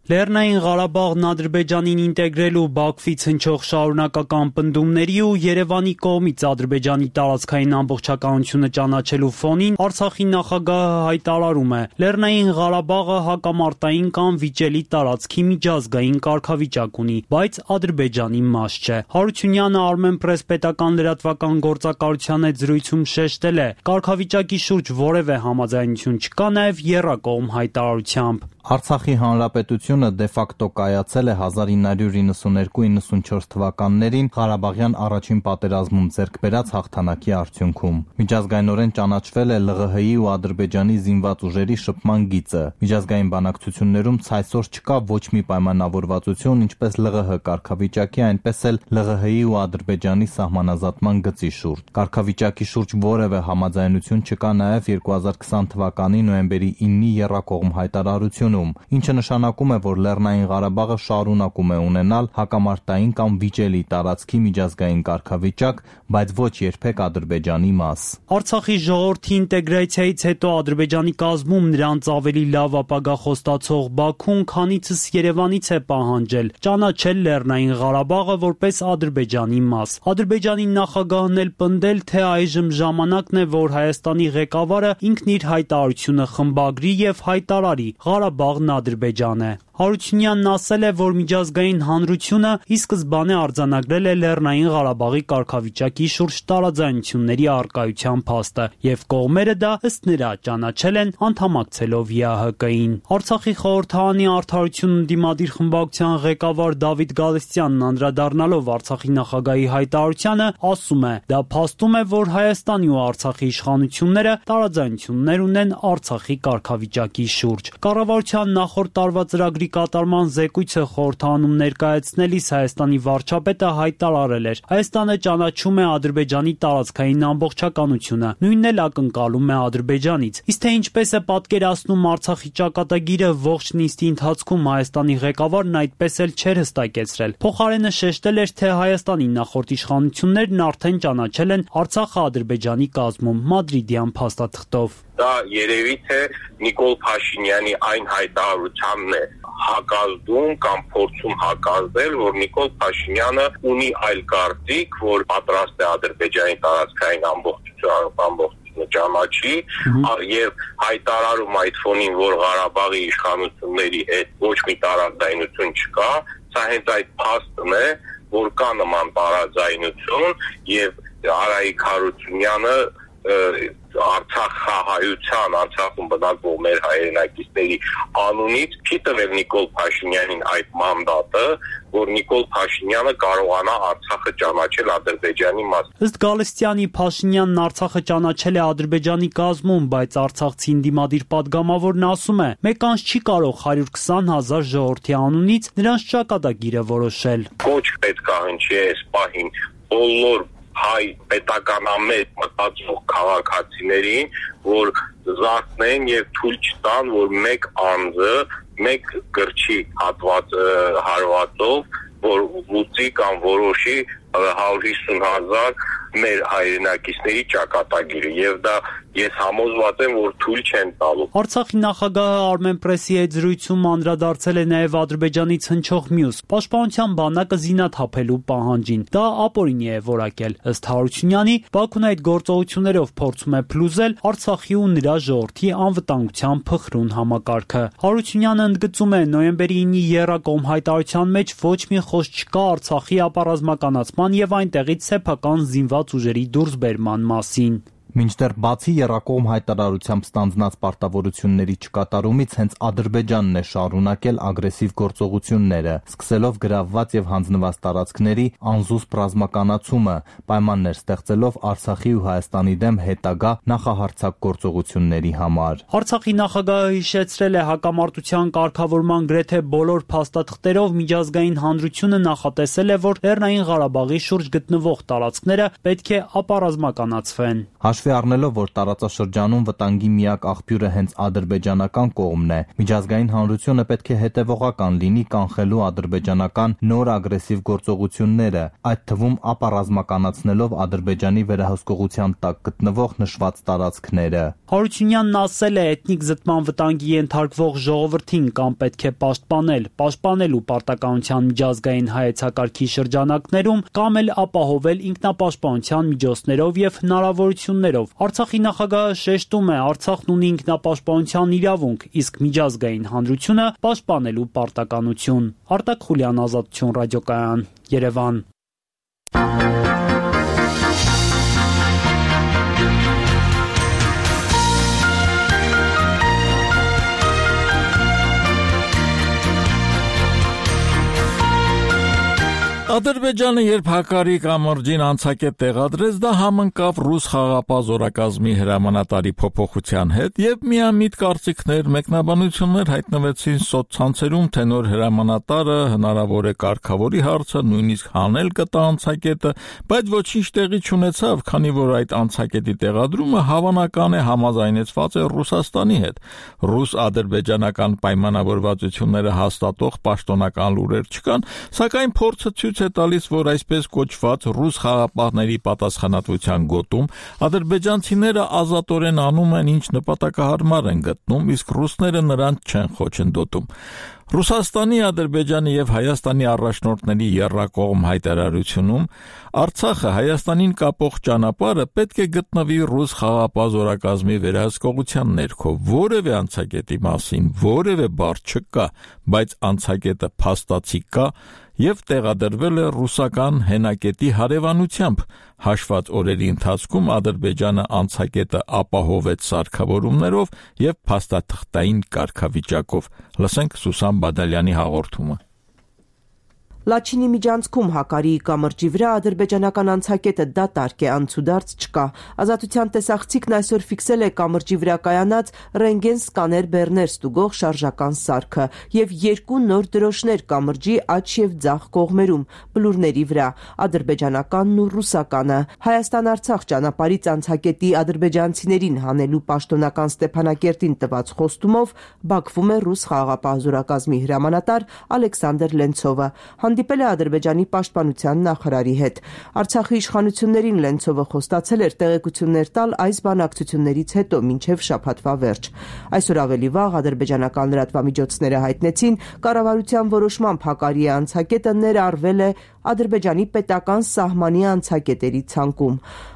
Լեռնային Ղարաբաղն Ադրբեջանին ինտեգրելու Բաքվից հնչող շարունակական պնդումների ու Երևանի կողմից Ադրբեջանի տարածքային ամբողջականությունը ճանաչելու ֆոնին Արցախի նախագահը հայտարարում է. Լեռնային Ղարաբաղը հակամարտային կամ վիճելի տարածքի միջազգային կարգավիճակ ունի, բայց Ադրբեջանի մաս չէ։ Հարությունյանը Armenpress պետական լրատվական գործակալության հետ զրույցում շեշտել է. կարգավիճակի շուրջ որևէ համաձայնություն չկա նաև եռակողմ հայտարարությամբ։ Արցախի հանրապետությունը դե ֆակտո կայացել է հազար ինը հարյուր իննսուններկու իննսունչորս թվականներին Ղարաբաղյան առաջին պատերազմում ձեռք բերած հաղթանակի արդյունքում։ Միջազգայինորեն ճանաչվել է ԼՂՀ-ի ու Ադրբեջանի զինված ուժերի շփման գիծը։ Միջազգային բանակցություններում ցայսօր չկա ոչ մի պայմանավորվածություն, ինչպես ԼՂՀ կարգավիճակի, այնպես էլ ԼՂՀ-ի ու Ադրբեջանի սահմանազատման գծի շուրջ։ Կարգավիճակի շուրջ որևէ համաձայնություն չկա նաև երկու հազար քսան թվականի նոյեմբերի իննի եռակողմ հայտարարություն, ինչը նշանակում է, որ Լեռնային Ղարաբաղը շարունակում է ունենալ հակամարտային կամ վիճելի տարածքի միջազգային կարգավիճակ, բայց ոչ երբեք Ադրբեջանի մաս։ Արցախի ժողովրդի ինտեգրացիայից հետո Ադրբեջանի կազմում նրանց ավելի լավ ապագա խոստացող Բաքուն քանիցս Երևանից է պահանջել ճանաչել Լեռնային Ղարաբաղը որպես Ադրբեջանի մաս։ Ադրբեջանի նախագահն էլ պնդել, թե այժմ ժամանակն է, որ Հայաստանի ղեկավարը ինքն իր հայտարարությունը խմբագրի եւ հայտարարի Ղարաբաղն Ադրբեջան է։ Հարությունյանն ասել է, որ միջազգային հանրությունը ի սկզբանե արձանագրել է Լեռնային Ղարաբաղի կարգավիճակի շուրջ տարաձայնությունների առկայության փաստը, եւ կողմերը դա ըստ նրա ճանաչել են անդամակցելով ԵԱՀԿ-ին։ Արցախի խորհրդարանի արդարություն ընդդիմադիր խմբակցության ղեկավար Դավիթ Գալստյանն անդրադառնալով Արցախի նախագահի հայտարարությանը ասում է. դա փաստում է, որ Հայաստանի ու Արցախի իշխանությունները տարաձայնություններ ունեն Արցախի կարգավիճակի շուրջ։ Կառավարության նախորդ տարվա ծրագրի կատարման զեկույցը խորհրդանում ներկայացնելիս Հայաստանի վարչապետը հայտարարել էր. Հայաստանը ճանաչում է Ադրբեջանի տարածքային ամբողջականությունը, նույնն էլ ակնկալում է Ադրբեջանից։ Իսկ թե ինչպես է պատկերացնում Արցախի ճակատագիրը, ողջ նիստի ընթացքում Հայաստանի ղեկավարն այդպես էլ չէր հստակեցրել։ Փոխարենը շեշտել էր, թե Հայաստանի նախորդ իշխանություններն արդեն ճանաչել են Արցախը Ադրբեջանի կազմում մադրիդյան փաստաթղթով։ Դա երևի թե Նիկոլ Փաշինյանի այն հայտարարությանն է հակազդում կամ փորձում հակազդել, որ Նիկոլ Փաշինյանը ունի այլ կարծիք, որ պատրաստ է Ադրբեջանի տարածքային ամբողջությունը ճանաչի եւ հայտարարում այդ ֆոնին, որ Ղարաբաղի իշխանությունների հետ ոչ մի տարաձայնություն չկա, սա հենց այդ փաստն է, որ կա նման տարաձայնություն եւ Արայիկ Հարությունյանը Արցախ խաղայության, Արցախում բնակվող մեր հայրենակիցների անունից չի տվել Նիկոլ Փաշինյանին այդ մանդատը, որ Նիկոլ Փաշինյանը կարողանա Արցախը ճանաչել Ադրբեջանի մաս։ Ըստ Գալստյանի, Փաշինյանն Արցախը ճանաչել է Ադրբեջանի կազմում, բայց արցախցի ընդդիմադիր падգամավորն ասում է, մեկ անց չի կարող հարյուր քսան հազար ժողովրդի անունից նրանց ճակատագիրը որոշել։ Ոչ պետք է հնչի այս պահին բոլոր հայ պետականամետ մտածող քաղաքացիներին, որ զարթնեն եւ թույլ չտան, որ մեկ անձը, մեկ գրչի հատված հարվածով, որ լուծի կամ որոշի հարյուր հիսուն հազար մեր հայրենակիցների ճակատագիրը եւ դա ես համոզված եմ, որ թույլ չեն տալու։ Արցախի նախագահը Armen Press-ի հետ զրույցում անդրադարձել է նաև Ադրբեջանից հնչող մյուս պաշտպանության բանակը զինաթափելու պահանջին։ Դա ապօրինի է որակել։ Ըստ Հարությունյանի, Բաքուն այդ գործողություններով փորձում է փլուզել Արցախի ու նրա ժողովրդի անվտանգության փխրուն համակարգը։ Հարությունյանը ընդգծում է, նոյեմբերի ինի եռակողմ հայտարարության մեջ ոչ մի խոսք չկա Արցախի ապառազմականացման եւ այնտեղից սեփական զինված ուժերի դուրսբերման մասին։ Մինչդեռ բացի եռակողմ հայտարարությամբ ստանձնած պարտավորությունների չկատարումից հենց Ադրբեջանն է շարունակել ագրեսիվ գործողությունները, սկսելով գրավված եւ հանձնված տարածքների անզուսպ ռազմականացումը, պայմաններ ստեղծելով Արցախի ու Հայաստանի դեմ հետագա նախահարձակ գործողությունների համար։ Արցախի նախագահը հիշեցրել է հակամարտության կարգավորման գրեթե բոլոր փաստաթղթերով միջազգային հանրությունը նախատեսել է, որ Լեռնային Ղարաբաղի շուրջ գտնվող տարածքները պետք է ապառազմականացվեն։ Հաշվի առնելով, որ տարածաշրջանում վտանգի միակ աղբյուրը հենց ադրբեջանական կողմն է, միջազգային հանրությունը պետք է հետևողական լինի կանխելու ադրբեջանական նոր ագրեսիվ գործողությունները, այդ թվում ապառազմականացնելով Ադրբեջանի վերահսկողության տակ գտնվող նշված տարածքները։ Հարությունյանն ասել է, էթնիկ զտման վտանգի ենթարկվող ժողովրդին կամ պետք է պաշտպանել, պաշտպանելու պարտականության միջազգային հայեցակարգի շրջանակներում, կամ էլ ապահովել ինքնապաշտպանության միջոցներով եւ հնարավորություններով։ Արցախի նախագահը շեշտում է, Արցախն ունի ինքնապաշտպանության իրավունք, իսկ միջազգային հանրությունը պաշտպանելու պարտականություն։ Արտակ Խուլյան, Ազատություն ռադիոկայան, Երևան։ Ադրբեջանը երբ հակարի կամրջին անցակետ տեղադրեց, դա համընկավ ռուս խաղապահ զորակազմի հրամանատարի փոփոխության հետ եւ միամիտ կարծիքներ, մեկնաբանություններ հայտնվեցին սոցցանցերում, թե նոր հրամանատարը հնարավոր է կարգավորի հարցը, նույնիսկ հանել կտա անցակետը, բայց ոչինչ տեղի չունեցավ, քանի որ այդ անցակետի տեղադրումը հավանական է համաձայնեցված է Ռուսաստանի հետ։ Ռուս-ադրբեջանական պայմանավորվածությունները հաստատող պաշտոնական լուրեր չկան, սակայն փորձը ցույց է տալիս, որ այսպես կոչված ռուս խաղապահների պատասխանատվության գոտում ադրբեջանցիները ազատորեն անում են, ինչ նպատակահարմար են գտնում, իսկ ռուսները նրանց չեն խոչընդոտում։ Ռուսաստանի, Ադրբեջանի եւ Հայաստանի առաջնորդների եռակողմ հայտարարությունում Արցախը Հայաստանին կապող ճանապարհը պետք է գտնվի ռուս խաղապահ զորակազմի վերահսկողության ներքո, որևէ անցակետի մասին որևէ բառ չկա, բայց անցակետը փաստացի կա եւ տեղադրվել է ռուսական հենակետի հարևանությամբ։ Հաշված օրերի ընթացքում Ադրբեջանը անցակետը ապահովեց սարքավորումներով եւ փաստաթղթային կարգավիճակով։ Լսենք Սուսան Բադալյանի հաղորդումը։ Լաչինի միջանցքում Հակարիի կամրջի վրա ադրբեջանական անցակետը դատարկ է, անցուդարձ չկա։ Ազատության տեսախցիկն այսօր ֆիքսել է կամրջի վրա կայանած ռենտգեն սկաներ բեռներ ստուգող շարժական սարքը եւ երկու նոր դրոշներ կամրջի աջ եւ ձախ կողմերում, բլուրների վրա, ադրբեջանականն ու ռուսականը։ Հայաստան-Արցախ ճանապարհից անցակետի ադրբեջանցիներին հանելու պաշտոնական Ստեփանակերտին տված խոստումով Բաքվում է ռուս խաղաղապահ զորակազմի հրամանատար Ալեքսանդր Լենցովը։ Հանդիպել է Ադրբեջանի պաշտպանության նախարարի հետ։ Արցախի իշխանություններին Լենցովը խոստացել էր տեղեկություններ տալ այս բանակցություններից հետո մինչև շաբաթվա վերջ։ Այսօր ավելի վաղ ադրբեջանական լրատվամիջոցները հայտնեցին, կառավարության որոշմամբ Հակարիի անցակետը ներառվել է Ադրբեջանի պետական սահմանի անցակետերի ցանկում։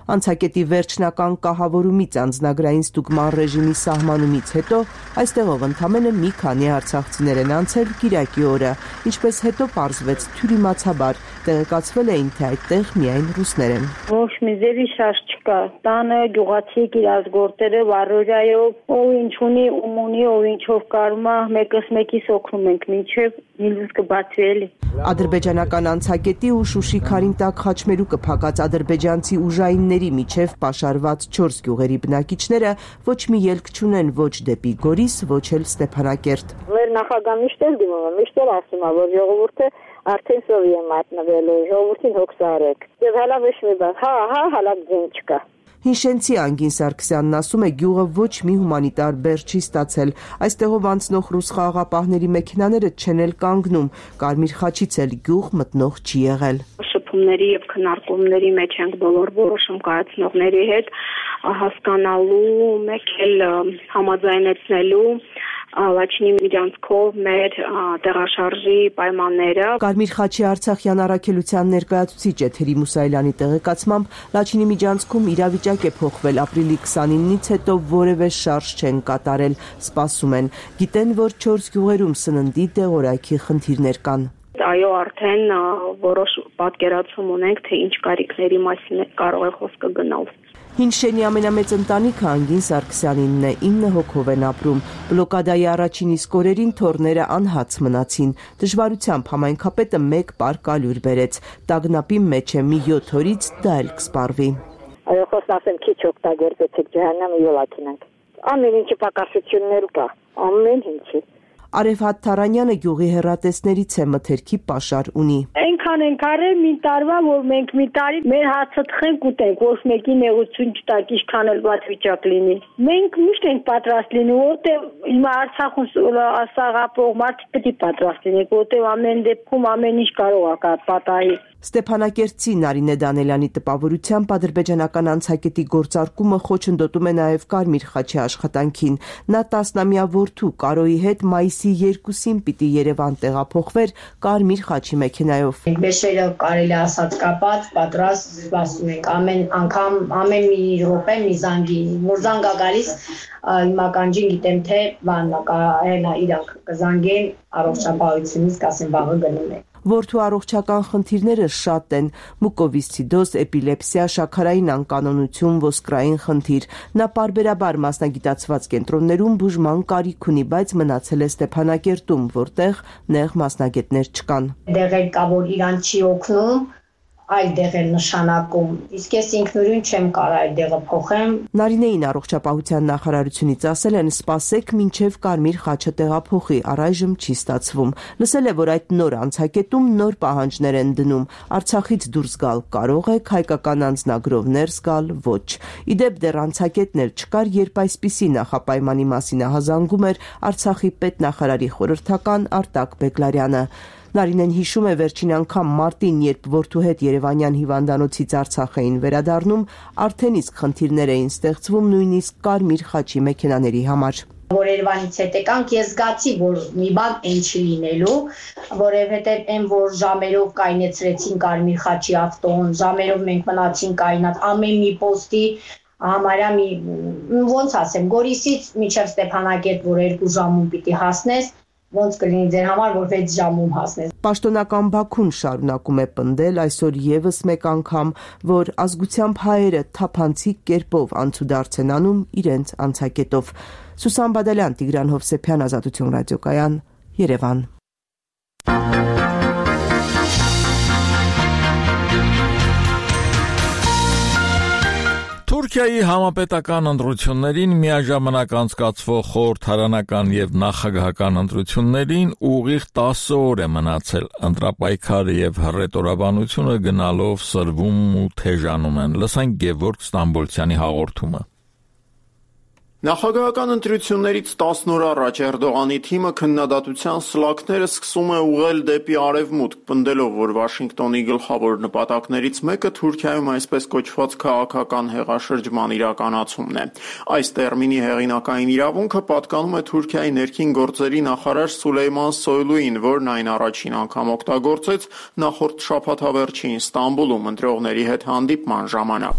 Անցակետի վերջնական կահավորումից անձնագրային ստուգման ռեժիմի սահմանումից հետո այստեղով ընդամենը մի քանի արցախցիներ են անցել Կիրակի օրը, ինչպես հետո պարզվեց թյուրիմացաբար, տեղեկացվել էին, թե այդտեղ միայն ռուսներ են։ Ոչ մի ձևի շարժ չկա։ Տանը գյուղացի իրազգորտերը վարորայով, ով ինչ ունի, ում ունի, ով ինչով կարում է, մեկս մեկիս օգնում ենք, մինչև նիլուս կբացվի էլի։ Ադրբեջանական անցակետի ու Շուշի Քարինտակ խաչմերուկը փակած ադրբեջանցի ուժայինների միջև պաշարված չորս գյուղերի բնակիչները ոչ մի ելք չունեն ոչ դեպի Գորիս, ոչ էլ Ստեփանակերտ։ Մեր նախագահը միշտ էլ դիմում է, միշտ էլ ասում է, որ ժողովուրդը արդեն սովի է մատնվել, ժողովրդին հոգս արեք։ Եվ հալա ոչ մի բան, հա, հա, հալա ձեն չկա։ Հինշենցի Անգին Սարգսյանն ասում է, գյուղը ոչ մի հումանիտար բեռ չի ստացել։ Այստեղով անցնող ռուս խաղաղապահների մեքենաները չեն էլ կանգնում, Կարմիր խաչից էլ գյուղ մտնող չի եղել։ Շփումների եւ քննարկումների մեջ ենք բոլոր որոշում կայացնողների հետ, հասկանալու, մեկ էլ համաձայնեցնելու Լաչինի միջանցքով մեր տեղաշարժի պայմանները։ Կարմիր խաչի Արցախյան առաքելության ներկայացուցիչ Էթերի Մուսայելյանի տեղեկացմամբ Լաչինի միջանցքում իրավիճակ է փոխվել ապրիլի քսանինից հետո որևէ շարժ չեն կատարել, սպասում են։ Գիտեն, որ չորս գյուղերում սննդի դեղորայքի խնդիրներ կան։ Այո, արդեն որոշ պատկերացում ունենք, թե ինչ կարիքների մասին կարող է խոսքը գնալ։ Հին շենի ամենամեծ ընտանիքը Անգին Սարգսյանինն է, ինը հոգով են ապրում։ Բլոկադայի առաջին իսկ օրերին թորները անհաց մնացին։ Դժվարությամբ համայնքապետը մեկ պար կալյուր բերեց։ Տագնապի մեջ է մի յոթ օրից դա էլ կսպառվի։ Այո, խոսն ասեմ, քիչ օգտագործեցիք ջահանամը յոլակինանք։ Ամեն ինչի պակասություններ կա, ամեն ինչի։ Արևհատ Թարանյանը գյուղի հեռատեսներից է, մթերքի պաշար ունի։ Այնքան ենք արել մի տարվա, որ մենք մի տարի մեր հացը թխենք ուտենք, ոչ մեկի նեղություն չտակ, ինչքան էլ վատ վիճակ լինի։ Մենք միշտ ենք պատրաստ լինում, որտեղ հիմա Արցախում ասաղապող մարդիկ պետք է պատրաստ լինենք, որտեղ ամեն դեպքում ամեն ինչ կարող է պատահի։ Ստեփանակերտցի Նարինե Դանելյանի տպավորությամբ ադրբեջանական անցակետի գործարկումը խոչընդոտում է նաև Կարմիր խաչի աշխատանքին։ Նա տասնամյա որդու Կարոյի հետ մայիսի երկուսին պիտի Երևան տեղափոխվեր Կարմիր խաչի մեքենայով։ Բեշերը կարելի ասած կապած, պատրաստ սպասում ենք ամեն անգամ, ամեն մի րոպե մի զանգի, մուրզանգա գալիս, հիմա կանջին գիտեմ թե բանա կարելա իրանք կզանգեն առողջապահությունից, կասեն վաղը գնում եք։ Որդու առողջական խնդիրները շատ են՝ մուկովիսցիդոզ, էպիլեպսիա, շաքարային անկանոնություն, ոսկրային խնդիր։ Նա պարբերաբար մասնագիտացված կենտրոններում բուժման կարիք ունի, բայց մնացել է Ստեփանակերտում, որտեղ նեղ մասնագետներ չկան։ Դեղեր կա, որ իրան չի օգնում, այլ դեղեր նշանակում, իսկ ես ինքնուրույն չեմ կարող այդ դեղը փոխեմ։ Նարինեին առողջապահության նախարարությունից ասել են սպասեք մինչև Կարմիր խաչը տեղափոխի, առայժմ չի ստացվում։ Լսել է, որ այդ նոր անցակետում նոր պահանջներ են դնում։ Արցախից դուրս գալ կարող եք, հայկական անձնագրով ներս գալ ոչ։ Իդեպ դեռ անցակետն էլ չկար, երբ այսպիսի նախապայմանի մասին ահազանգում էր Արցախի պետնախարարի խորհրդական Արտակ Բեգլարյանը։ Նարինեն հիշում է վերջին անգամ մարտին, երբ որդու հետ Երևանյան հիվանդանոցից Արցախ էին վերադառնում, արդեն իսկ խնդիրներ էին ստեղծվում նույնիսկ Կարմիր խաչի մեքենաների համար։ Որ Երևանից հետ եկանք, ես զգացի, որ մի բան այն չի լինելու, որովհետև այն որ ժամերով կայնեցրեցին Կարմիր խաչի ավտոն, ժամերով մենք մնացինք կայնած, ամեն մի պոստի համարյա մի ոնց ասեմ, Գորիսից մինչև Ստեփանակերտ, որ երկու ժամում պիտի հասնես, ոնց կլինի ձեր համար, որ վեց ժամում հասնես։ Պաշտոնական Բաքուն շարունակում է պնդել այսօր եւս մեկ անգամ, որ ազգությամբ հայերը թափանցիկ կերպով անցուդարձ են անում իրենց անցակետով։ Սուսան Բադալյան, Տիգրան Հովսեփյան, Ազատություն ռադիոկայան, Երևան։ Թուրքիայի համապետական ընտրություններին միաժամանակ անցկացվող խորհրդարանական եւ նախագահական ընտրություններին ուղիղ տասը օր է մնացել։ Ընտրապայքարը եւ հռետորաբանությունը գնալով սրվում ու թեժանում են։ Լսենք Գևորգ Ստամբոլցյանի հաղորդումը։ Նախագահական ընտրություններից տասն օր առաջ Էրդողանի թիմը քննադատության սլաքները սկսում է ուղղել դեպի արևմուտք, պնդելով, որ Վաշինգտոնի գլխավոր նպատակներից մեկը Թուրքիայում այսպես կոչված քաղաքական հեղաշրջման իրականացումն է։ Այս տերմինի հեղինակային իրավունքը պատկանում է Թուրքիայի ներքին գործերի նախարար Սուլեյման Սոյլուին, որն այն առաջին անգամ օգտագործեց նախորդ շաբաթավերջին Ստամբուլում ընտրողների հետ հանդիպման ժամանակ։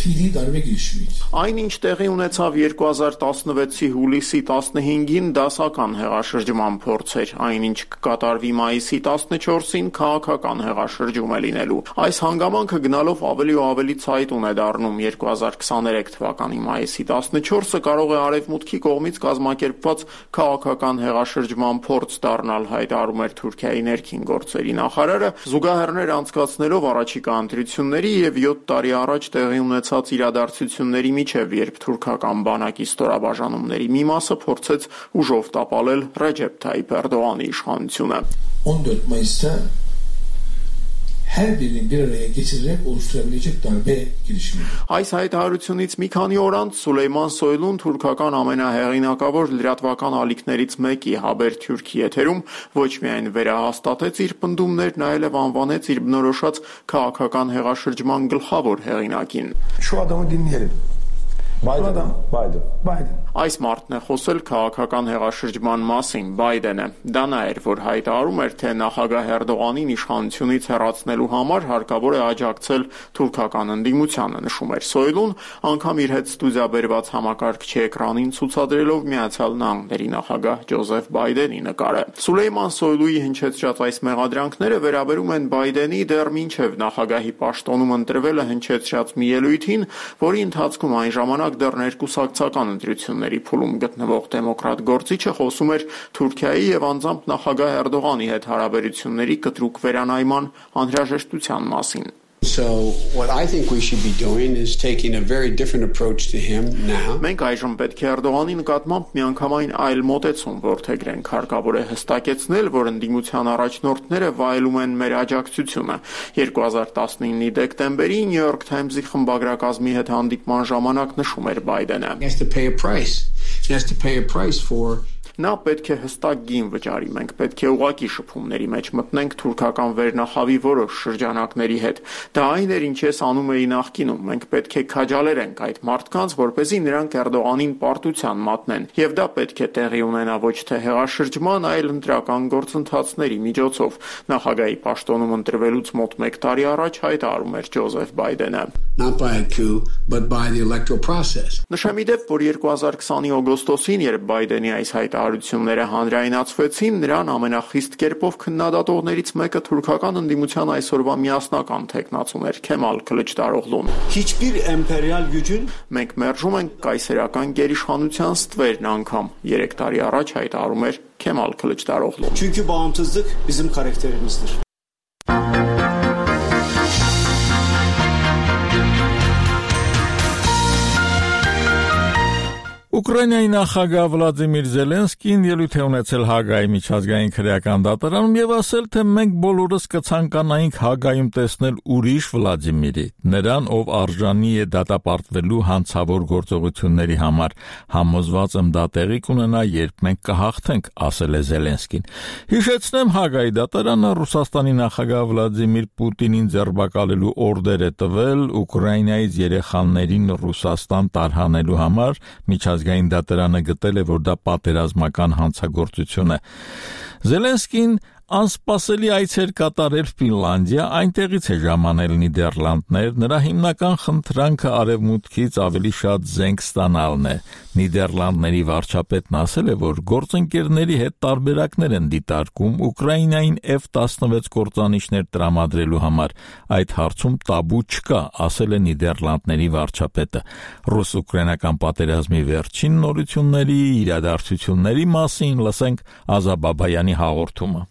Այն ինչ տեղի ունեցավ երկու հազար տասնվեցի հուլիսի տասնհինգին դասական հեղաշրջման փորձ էր, այնինչ կկատարվի մայիսի տասնչորսին քաղաքական հեղաշրջում է լինելու։ Այս հանգամանքը գնալով ավելի ու ավելի ցայտուն է դառնում։ երկու հազար քսաներեք թվականի մայիսի տասնչորսը կարող է արևմուտքի կողմից կազմակերպված քաղաքական հեղաշրջման փորձ դառնալ, հայտարարում էր Թուրքիայի ներքին գործերի նախարարը, զուգահեռներ անցկացնելով առաջիկա ընտրությունների եւ յոթ տարի առաջ տեղի ունեցած իրադարձությունների միջև, երբ թուրքական բանակի ստորաբաժանումների մի մասը փորձեց ուժով տապալել Ռեջեփ Թայիփ Էրդողանի իշխանությունը։ her birinin bir araya getirerek oluşturabilecek darbe girişimi. Այս հայտարարությունից մի քանի օր անց Սուլեյման Սոյլուն թուրքական ամենահեղինակավոր լրատվական ալիքներից մեկի Habertürk եթերում ոչ միայն վերահաստատեց իր պնդումներն, այլև անվանեց իր բնորոշած քաղաքական հեղաշրջման գլխավոր հեղինակին. Şu adamı dinleyelim. Biden. Biden. Biden. Այս մարդն է խոսել քաղաքական հեղաշրջման մասին, Բայդենը։ Դա նա էր, որ հայտարարում էր, թե նախագահ Էրդողանին իշխանությունից հեռացնելու համար հարկավոր է աջակցել թուրքական ընդդիմությանը, նշում էր Սոյլուն, անգամ իր հետ ստուդիա բերված համակարգչի էկրանին ցուցադրելով Միացյալ Նահանգների նախագահ Ջոզեֆ Բայդենի նկարը։ Սուլեյման Սոյլուի հնչեցրած այս մեղադրանքները վերաբերում են Բայդենի դեռ մինչև նախագահի պաշտոնում ընտրվելը հնչեցրած մի ելույթին, որի ընթացքում այն ժամանակ դեռ ներկուսակցական ընտրությունների փուլում գտնվող դեմոկրատ գործիչը խոսում էր Թուրքիայի եւ անձամբ նախագահ Էրդողանի հետ հարաբերությունների կտրուկ վերանայման անհրաժեշտության մասին։ So what I think we should be doing is taking a very different approach to him now. Մենք այժմ պետք է Էրդողանի նկատմամբ միանգամայն այլ մոտեցում որդեգրենք, հարկավոր է հստակեցնել, որ ընդդիմության առաջնորդները վայելում են մեր աջակցությունը։ երկու հազար տասնինի դեկտեմբերի New York Times-ի խմբագրակազմի հետ հանդիպման ժամանակ նշում էր Բայդենը. He has to pay a price. He has to pay a price for Նա պետք է հստակ գին վճարի, մենք պետք է ուղղակի շփումների մեջ մտնենք թուրքական վերնախավի որոշ շրջանակների հետ։ Դա այն էր, ինչ ես անում էի նախկինում, մենք պետք է քաջալերենք այդ մարդկանց, որպեսզի նրանք Էրդողանին պարտության մատնեն, եւ դա պետք է տեղի ունենա ոչ թե հեղաշրջման, այլ ընտրական գործընթացների միջոցով։ Նախագահի պաշտոնում ընտրվելուց մոտ մեկ տարի առաջ հայտարարում էր Ջոզեֆ Բայդենը. Not by a coup, but by the electoral process. Նշեմ ի դեպ, որ երկու հազար քսանի օգոստոսին, երբ Բայդենի այս հայտարարությունները հանրայնացվեցին, նրան ամենախիստ կերպով քննադատողներից մեկը թուրքական ընդդիմության այսօրվա միասնական թեկնածուն էր Քեմալ Քլիչդարօղլուն։ Hiçbir emperyal gücün Մենք մերժում ենք կայսերական գերիշխանության ստվերն անգամ, երեք տարի առաջ հայտարարում էր Քեմալ Քլիչդարօղլուն։ Çünkü bağımsızlık bizim karakterimizdir. Ուկրաինայի նախագահ Վլադիմիր Զելենսկին ելույթ է ունեցել Հագայի միջազգային քրեական դատարանում եւ ասել, թե մենք բոլորս կցանկանայինք Հագայում տեսնել ուրիշ Վլադիմիրի, նրան, ով արժանի է դատապարտվելու հանցավոր գործողությունների համար։ Համոզված եմ դա տեղի կունենա, երբ մենք կհաղթենք, ասել է Զելենսկին։ Հիշեցնեմ, Հագայի դատարանը Ռուսաստանի նախագահ Վլադիմիր Պուտինին ձերբակալելու օրդեր է տվել Ուկրաինայից երեխաներին Ռուսաստան տարհանելու համար, միջազգային Գային դատարանը գտել է, որ դա պատերազմական հանցագործություն է։ Զելենսկին անսպասելի այց էր կատարել Ֆինլանդիա, այնտեղից է ժամանել Նիդերլանդներ, նրա հիմնական խնդրանքը արևմուտքից ավելի շատ զենք ստանալն է։ Նիդերլանդների վարչապետն ասել է, որ գործընկերների հետ տարբերակներ են դիտարկում Ուկրաինային F տասնվեց կործանիչներ տրամադրելու համար։ Այդ հարցում տաբու չկա, ասել է Նիդերլանդների վարչապետը։ Ռուս-ուկրաինական պատերազմի վերջին նորությունների, իրադարձությունների մասին լսենք Ազա Բաբայանի հաղորդումը։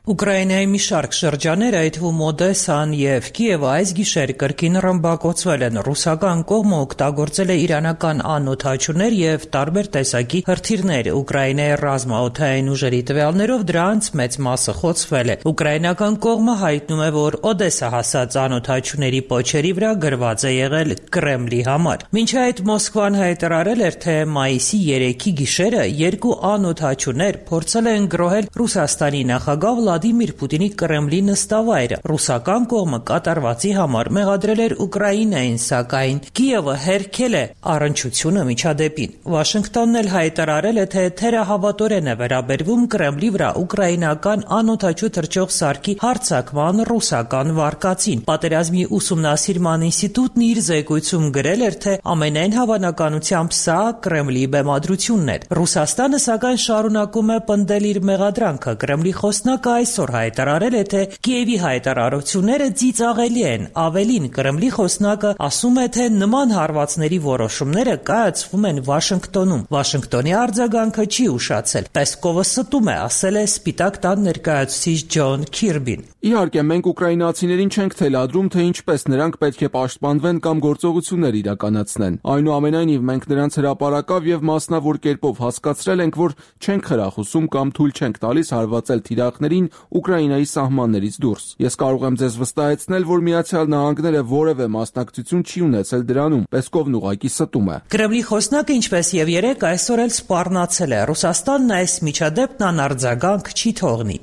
Ուկրաինայի մի շարք շրջաններ, այդ թվում Օդեսան եւ Կիևը այս գիշեր կրկին ռմբակոծվել են։ Ռուսական կողմը օգտագործել է իրանական անօդաչուներ եւ տարբեր տեսակի հրթիռներ։ Ուկրաինայի ռազմաօդային ուժերի տվյալներով դրանց մեծ մասը խոցվել է։ Ուկրաինական կողմը հայտնում է, որ Օդեսա հասած անօդաչուների պոչերի վրա գրված է եղել Կրեմլի համար։ Մինչ այդ Մոսկվան հայտարարել էր, թե մայիսի երեքի գիշերը երկու անօդաչուներ փորձել են գրոհել Ռուսաստանի նախագահ Վլադիմիր Պուտինի Կրեմլի նստավայրը։ Ռուսական կողմը կատարվածի համար մեղադրել էր Ուկրաինային, սակայն Կիևը հերքել է առնչությունը միջադեպին։ Վաշինգտոնն էլ հայտարարել է, թե թերահավատորեն է վերաբերվում Կրեմլի վրա ուկրաինական անօդաչու թռչող սարքի հարձակման ռուսական վարկածին։ Պատերազմի ուսումնասիրման ինստիտուտն իր զեկույցում գրել էր, թե ամենայն հավանականությամբ սա Կրեմլի բեմադրությունն էր։ Ռուսաստանը սակայն շարունակում է պնդել իր մեղադրանքը։ Կրեմլի խոսնակը այսօր հայտարարել է, թե Կիևի հայտարարությունները ծիծաղելի են։ Ավելին, Կրեմլի խոսնակը ասում է, թե նման հարվածների որոշումները կայացվում են Վաշինգտոնում։ Վաշինգտոնի արձագանքը չի ուշացել։ Պեսկովը ստում է, ասել է Սպիտակ տան ներկայացուցիչ Ջոն Քիրբին։ Իհարկե, մենք ուկրաինացիներին չենք թելադրում, թե ինչպես նրանք պետք է պաշտպանվեն կամ գործողություններ իրականացնեն։ Այնուամենայնիվ, մենք նրանց հրապարակավ եւ մասնավոր կերպով հասկացրել ենք, որ չենք խրախուսում կամ թույլ չենք տալիս հարվածել թիրախներին Ուկրաինայի սահմաններից դուրս։ Ես կարող եմ ձեզ վստահեցնել, որ Միացյալ Նահանգները որևէ մասնակցություն չի ունեցել դրանում, Պեսկովն ուղղակի ստում է։ Կրեմլի խոսնակը, ինչպես եւ երեք, այսօր էլ սպառնացել է. Ռուսաստանն այս միջադեպն անարձագանք չի թողնի։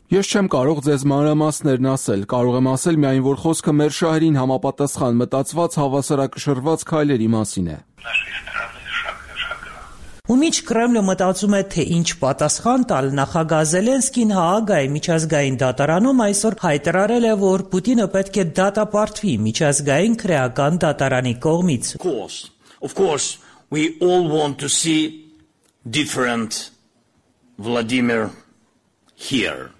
Ես չեմ կարող ձեզ մանրամասներն ասել, կարող եմ ասել միայն, որ խոսքը մեր շահերին համապատասխան մտածված հավասարակշռված քայլերի մասին է։ Ու միջ Կրեմլը մտածում է, թե ինչ պատասխան տալ, նախագահ Զելենսկին Հաագայի միջազգային դատարանում այսօր հայտարարել է, որ Պուտինը պետք է դատապարտվի միջազգային քրեական դատարանի կողմից։ Of course, of course, we all want to see different Vladimir here.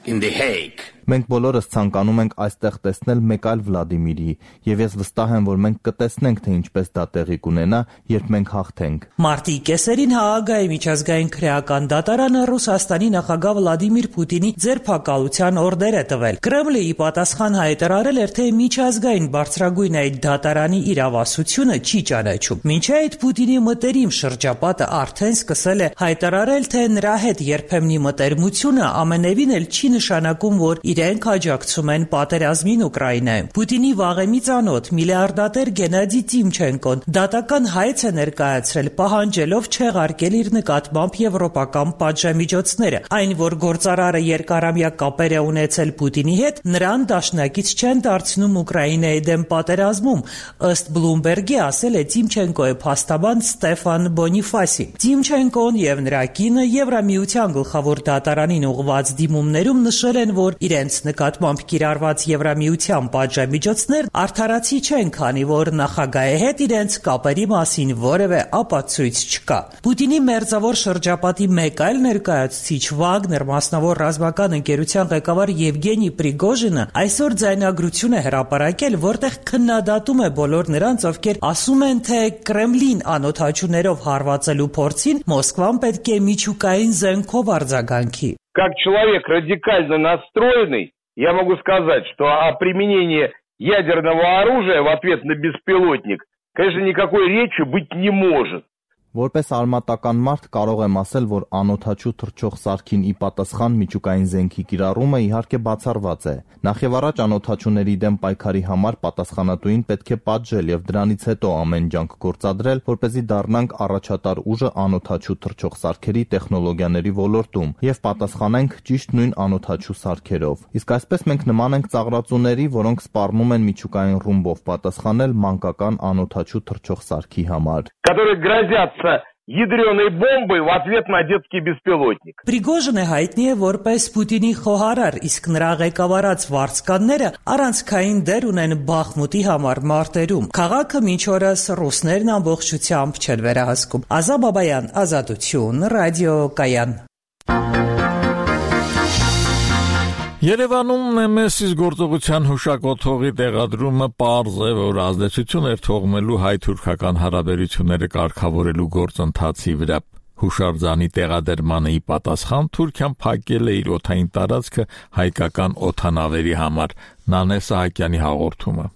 In The Hague. Մենք բոլորս ցանկանում ենք այստեղ տեսնել մեկ այլ Վլադիմիրի, եւ ես վստահ եմ, որ մենք կտեսնենք, թե ինչպես դա տեղի կունենա, երբ մենք հաղթենք։ Մարտի կեսերին Հաագայի միջազգային քրեական դատարանը Ռուսաստանի նախագահ Վլադիմիր Պուտինի ձերբակալության օրդեր է տվել։ Կրեմլը ի պատասխան հայտարարել էր, թե միջազգային բարձրագույն այդ դատարանի իրավասությունը չի ճանաչում։ Մինչ այդ Պուտինի մտերիմ շրջապատը արդեն սկսել է հայտարարել, թե նրա հետ երբեմնի մտերմությունը ամենևին էլ չի նշանակում, որ իրենք աջակցում են պատերազմին Ուկրաինայում։ Պուտինի վաղեմի ծանոթ միլիարդատեր Գենադի Տիմչենկոն դատական հայց է ներկայացրել, պահանջելով չեղարկել իր նկատմամբ եվրոպական պատժամիջոցները։ Այն, որ գործարարը երկարամյա կապեր է ունեցել Պուտինի հետ, նրան դաշնակից չեն դարձնում Ուկրաինայի դեմ պատերազմում, ըստ Բլումբերգի ասել է Տիմչենկոյի փաստաբան Ստեֆան Բոնիֆասի։ Տիմչենկոն եւ նրա կինը Եվրամիության գլխավոր դատարանին ուղղված դիմումներում նշել են, որ իրենց նկատմամբ կիրառված Եվրամիության պատժամիջոցներ արդարացի չեն, քանի որ նախագահի հետ իրենց կապերի մասին որևէ ապացույց չկա։ Պուտինի մերձավոր շրջապատի մեկ այլ ներկայացուցիչ Վագներ մասնավոր ռազմական ընկերության ղեկավար Եվգենի Պրիգոժինը այսօր ձայնագրություն է հրապարակել, որտեղ քննադատում է բոլոր նրանց, ովքեր ասում են, թե Կրեմլին անօթաչուներով հարվածելու փորձին Մոսկվան պետք է միջուկային զենքով արձագանքի։ Как человек радикально настроенный, я могу сказать, что о применении ядерного оружия в ответ на беспилотник, конечно, никакой речи быть не может. Որպես արմատական մարդ կարող եմ ասել, որ անօթաչու թռչող սարքին ի պատասխան միջուկային զենքի կիրառումը իհարկե բացառված է։ Նախևառաջ անօթաչուների դեմ պայքարի համար պատասխանատուին պետք է պատժել եւ դրանից հետո ամեն ջանք գործադրել, որպեսզի դառնանք առաջատար ուժը անօթաչու թռչող սարքերի տեխնոլոգիաների ոլորտում եւ պատասխանենք ճիշտ նույն անօթաչու սարքերով։ Իսկ այսպես մենք նման ենք ծաղրածուների, որոնք սպառնում են միջուկային ռումբով պատասխանել մանկական անօթաչու թռչող սարքի համար։ Которые грозятся ядреной бомбой в ответ на детский беспилотник. Պրիգոժինը հայտնի է որպես Պուտինի խոհարար, իսկ նրա ղեկավարած վարձկանները առանցքային դեր ունեն Բախմուտի համար մարտերում։ Քաղաքը մինչ օրս ռուսներն ամբողջությամբ չեն վերահսկում։ Ազա Բաբայան, Ազատություն, Ռադիո Կայան։ Երևանում Նեմեսիս գործողության հուշակոթողի տեղադրումը պարզ է, որ ազդեցություն էր թողնելու հայ-թուրքական հարաբերությունները կարգավորելու գործընթացի վրա։ Հուշարձանի տեղադրմանը ի պատասխան Թուրքիան փակել է իր օդային տարածքը հայկական օդանավերի համար։ Նանե Սահակյանի հաղորդումը։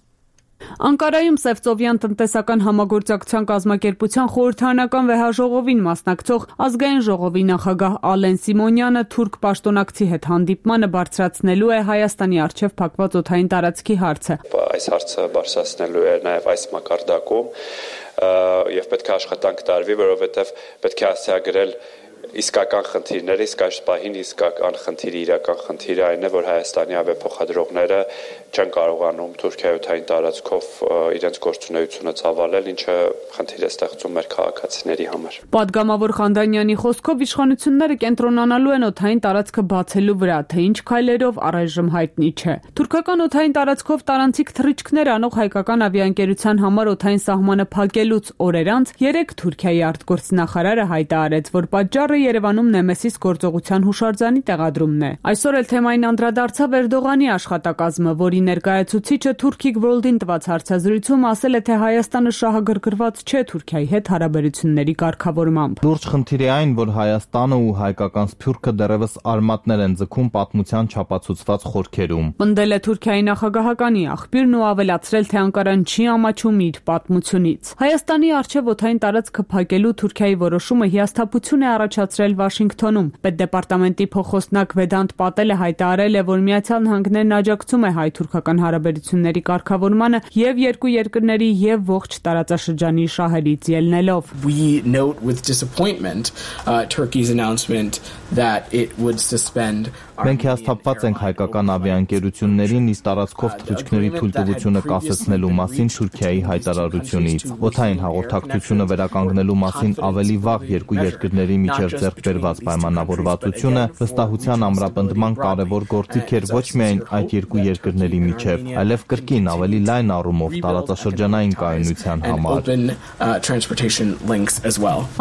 Անկարայում Սևծովյան տնտեսական համագործակցության կազմակերպության խորհրդարանական վեհաժողովին մասնակցող ազգային ժողովի նախագահ Ալեն Սիմոնյանը թուրք պաշտոնակցի հետ հանդիպմանը բարձրացնելու է Հայաստանի առջև փակված օդային տարածքի հարցը։ Այս հարցը բարձրացնելու է նաև այս մակարդակում եւ պետք է աշխատանք տարվի, որովհետեւ պետք է հասցեագրել իսկական խնդիրները, իսկ այս պահին իսկական խնդիրը, իրական խնդիրը այն է, որ Հայաստանի ավիափոխադրողները չեն կարողանում Թուրքիայի օդային տարածքով իրենց գործունեությունը ծավալել, ինչը խնդիր է ստեղծում մեր քաղաքացիների համար։ Պատգամավոր Խանդանյանի խոսքով իշխանությունները կենտրոնանալու են օդային տարածքը բացելու վրա, թե ինչ քայլերով առայժմ հայտնի չէ։ Թուրքական օդային տարածքով տարանցիկ թռիչքներ անող հայկական ավիաընկերության համար օդային սահմանը փակելուց օրեր անց երեք Թուրքիայի արտգործնախարարը հայտարարեց, որ պատճառ պատճառը Երևանում Նեմեսիս գործողության հուշարձանի տեղադրումն է։ Այսօր էլ թեմային անդրադարձավ Էրդողանի աշխատակազմը, որի ներկայացուցիչը Թուրքիկ World-ին տված հարցազրույցում ասել է, թե Հայաստանը շահագրգռված չէ Թուրքիայի հետ հարաբերությունների կարգավորմամբ։ Լուրջ խնդիր է այն, որ Հայաստանը ու հայկական Սփյուռքը դեռևս արմատներ են ձգում պատմության չափածուցված խորքերում։ Պնդել է Թուրքիայի նախագահականի աղբյուրն ու ավելացրել, թե Անկարան չի ամաչում իր պատմությունից։ Հայաստանի առջև օդային տարածքը փակելու Թուրքիայի որոշումը հիասթափություն է առաջացրել Վաշինգտոնում։ Պետդեպարտամենտի փոխոստնակ Վեդանտ Պատելը հայտարարել է, որ Միացյալ Նահանգներն աջակցում է հայ-թուրքական հարաբերությունների կարգավորմանը եւ երկու երկրների եւ ողջ տարածաշրջանի շահերից ելնելով։ We note with disappointment uh, Turkey's announcement that it would suspend. Մենք հիասթափված ենք հայկական ավիաընկերություններին իր տարածքով թռիչքների թույլտվությունը կասեցնելու մասին Թուրքիայի հայտարարությունից։ Օդային հաղորդակցությունը վերականգնելու մասին ավելի վաղ երկու երկրների միջև ձեռք բերված պայմանավորվածությունը վստահության ամրապնդման կարևոր գործիք էր ոչ միայն այդ երկու երկրների միջև, այլև կրկին ավելի լայն առումով տարածաշրջանային կայունության համար։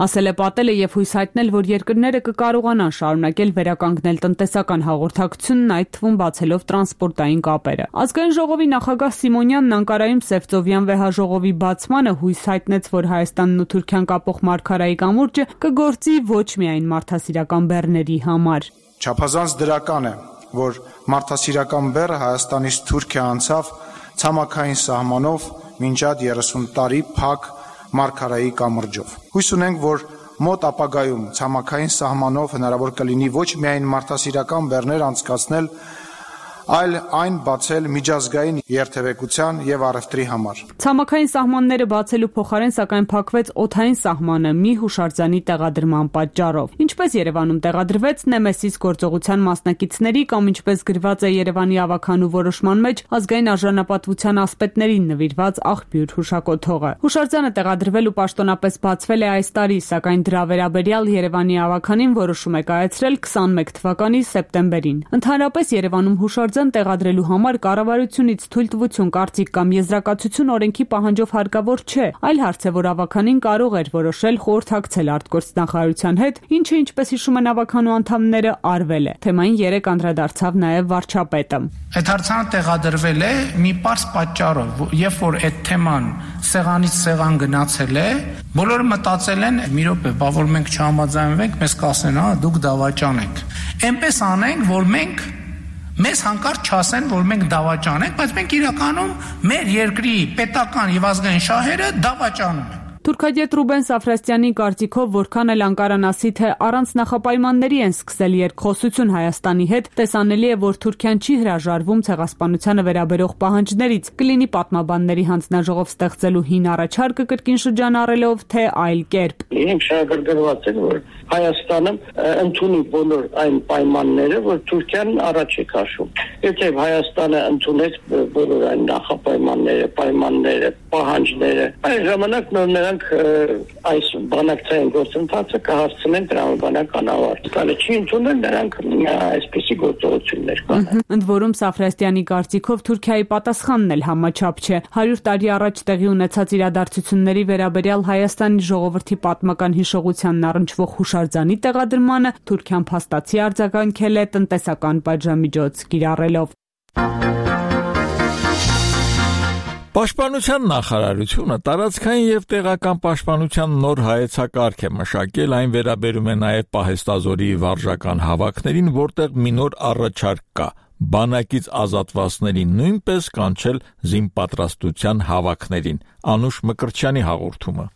Ասել է Պատելը եւ հույս հայտնել, որ երկրները կկարողանան շարունակել վերականգնել տնտեսական հաղորդակցությունն, այդ թվում բացելով տրանսպորտային կապերը։ Ազգային ժողովի նախագահ Սիմոնյանն Անկարայում Սևծովյան վեհաժողովի բացմանը հույս հայտնեց, որ Հայաստանն ու Թուրքիան կապող մարգարայի կամուրջը կգործի ոչ միայն մարդասիրական բեռների համար։ Չափազանց դրական է, որ մարդասիրական բեռը Հայաստանից Թուրքիա անցավ ցամաքային սահմանով մինչ այդ երեսուն տարի փակ մարգարայի կամուրջով։ Հույս ունենք, որ մոտ ապագայում ցամաքային սահմանով հնարավոր կլինի ոչ միայն մարդասիրական բեռներ անցկացնել, այլ այն բացել միջազգային երթևեկության եւ առևտրի համար։ Ցամաքային սահմանները բացելու փոխարեն սակայն փակվեց օդային սահմանը մի հուշարձանի տեղադրման պատճառով։ Ինչպես Երևանում տեղադրվեց Նեմեսիս գործողության մասնակիցների կամ ինչպես գրված է Երևանի ավականու որոշման մեջ ազգային արժանապատվության ասպետներին նվիրված աղբյուր հուշակոթողը։ Հուշարձանը տեղադրվելու պաշտոնապես բացվել է այս տարի, սակայն դրա վերաբերյալ Երևանի ավականին որոշում է կայացրել քսանմեկ թվականի սեպտեմբերին։ Ընդհանրապես Երևանում հուշարձան տեղադրելու համար կառավարությունից թույլտվություն, կարծիք կամ եզրակացություն օրենքի պահանջով հարկավոր չէ, այլ հարց է, որ ավականին կարող էր որոշել խորհրդակցել արտգործնախարարության հետ, ինչը ինչպես հիշում են ավականու անդամները արվել է։ Թեմային երեք անդրադարձավ նաև վարչապետը։ Այդ հարցանը տեղադրվել է մի պարզ պատճառով, երբ որ այդ թեման սեղանից սեղան գնացել է, բոլորը մտածել են՝ մի րոպե, բա որ մենք չհամաձայնվենք, մեզ կասեն, հա, դուք դավաճան եք։ Էնպես անենք, որ մենք մեզ հանկարծ չասեն, որ մենք դավաճան ենք, բայց մենք իրականում մեր երկրի պետական եւ ազգային շահերը դավաճանում ենք։ Թուրքագետ Ռուբեն Սաֆրաստյանի կարծիքով որքան էլ Անկարան ասի, թե առանց նախապայմանների են սկսել երկխոսություն Հայաստանի հետ, տեսանելի է, որ Թուրքիան չի հրաժարվում ցեղասպանությանը վերաբերող պահանջներից, կլինի պատմաբանների հանձնաժողով ստեղծելու հին առաջարկը կրկին շրջանառելով, թե այլ կերպ։ Ինք շահագրգռված են, որ Հայաստանը ընդունի բոլոր այն պայմանները, որ Թուրքիան առաջ է քաշում։ Եթե Հայաստանը ընդունեց բոլոր այն նախապայմանները, պայմանները, պահանջները, այն ժամանակ նոր նրանք այս բանակցային գործընթացը կհասցնեն տրամաբանական ավարտ։ Կանը չի ընդունել, նրանք այսպիսի գործողություններ կանեն։ Ընդ որում Սաֆրաստյանի կարծիքով Թուրքիայի պատասխանն էլ համաչափ չէ։ հարյուր տարի առաջ տեղի ունեցած իրադարձությունների վերաբերյալ Հայաստանի ժողովրդի պատմական հիշողությանն առնչվող հուշարձանի տեղադրմանը Թուրքիան փաստացի արձագանքել է տնտեսական պատժամիջոց կիրառելով։ Պաշտպանության նախարարությունը տարածքային եւ տեղական պաշտպանության նոր հայեցակարգ է մշակել, այն վերաբերում է նաեւ պահեստազորի վարժական հավաքներին, որտեղ մի նոր առաջարկ կա՝ բանակից ազատվածներին նույնպես կանչել զինպատրաստության հավաքներին։ Անուշ Մկրտչյանի հաղորդումը։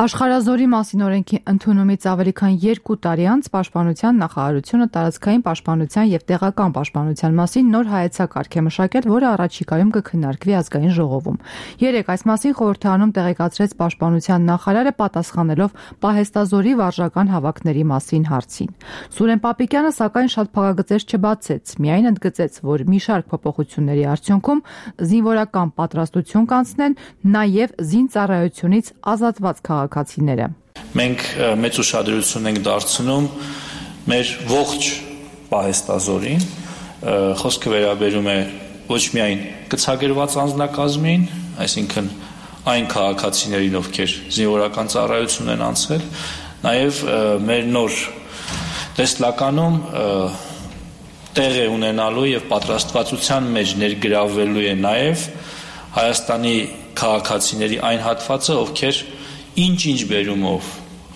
Աշխարհազորի մասին օրենքի ընդունումից ավելի քան երկու տարի անց Պաշտպանության նախարարությունը տարածքային պաշտպանության եւ տեղական պաշտպանության մասին նոր հայեցակարգ է մշակել, որը առաջիկայում կքննարկվի ազգային ժողովում։ Երեք այս մասին խորհրդարանում տեղեկացրեց Պաշտպանության նախարարը, պատասխանելով պահեստազորի վարժական հավաքների մասին հարցին։ Սուրեն Պապիկյանը սակայն շատ փակագծեր չբացեց, միայն ընդգծեց, որ մի շարք փոփոխությունների արդյունքում զինվորական պատրաստություն կանցնեն նաեւ զինծառայությունից ազատված քաղաքացիները։ Մենք մեծ ուշադրություն ենք դարձնում մեր ողջ պահեստազորին, խոսքը վերաբերում է ոչ միայն գծագրված անձնակազմին, այսինքն այն քաղաքացիներին, ովքեր զինվորական ծառայություն են անցել, Նաև մեր նոր տեսլականում տեղ է ունենալու եւ պատրաստվածության մեջ ներգրավվելու է նաև Հայաստանի քաղաքացիների այն հատվածը, ովքեր ինչ-ինչ բերումով,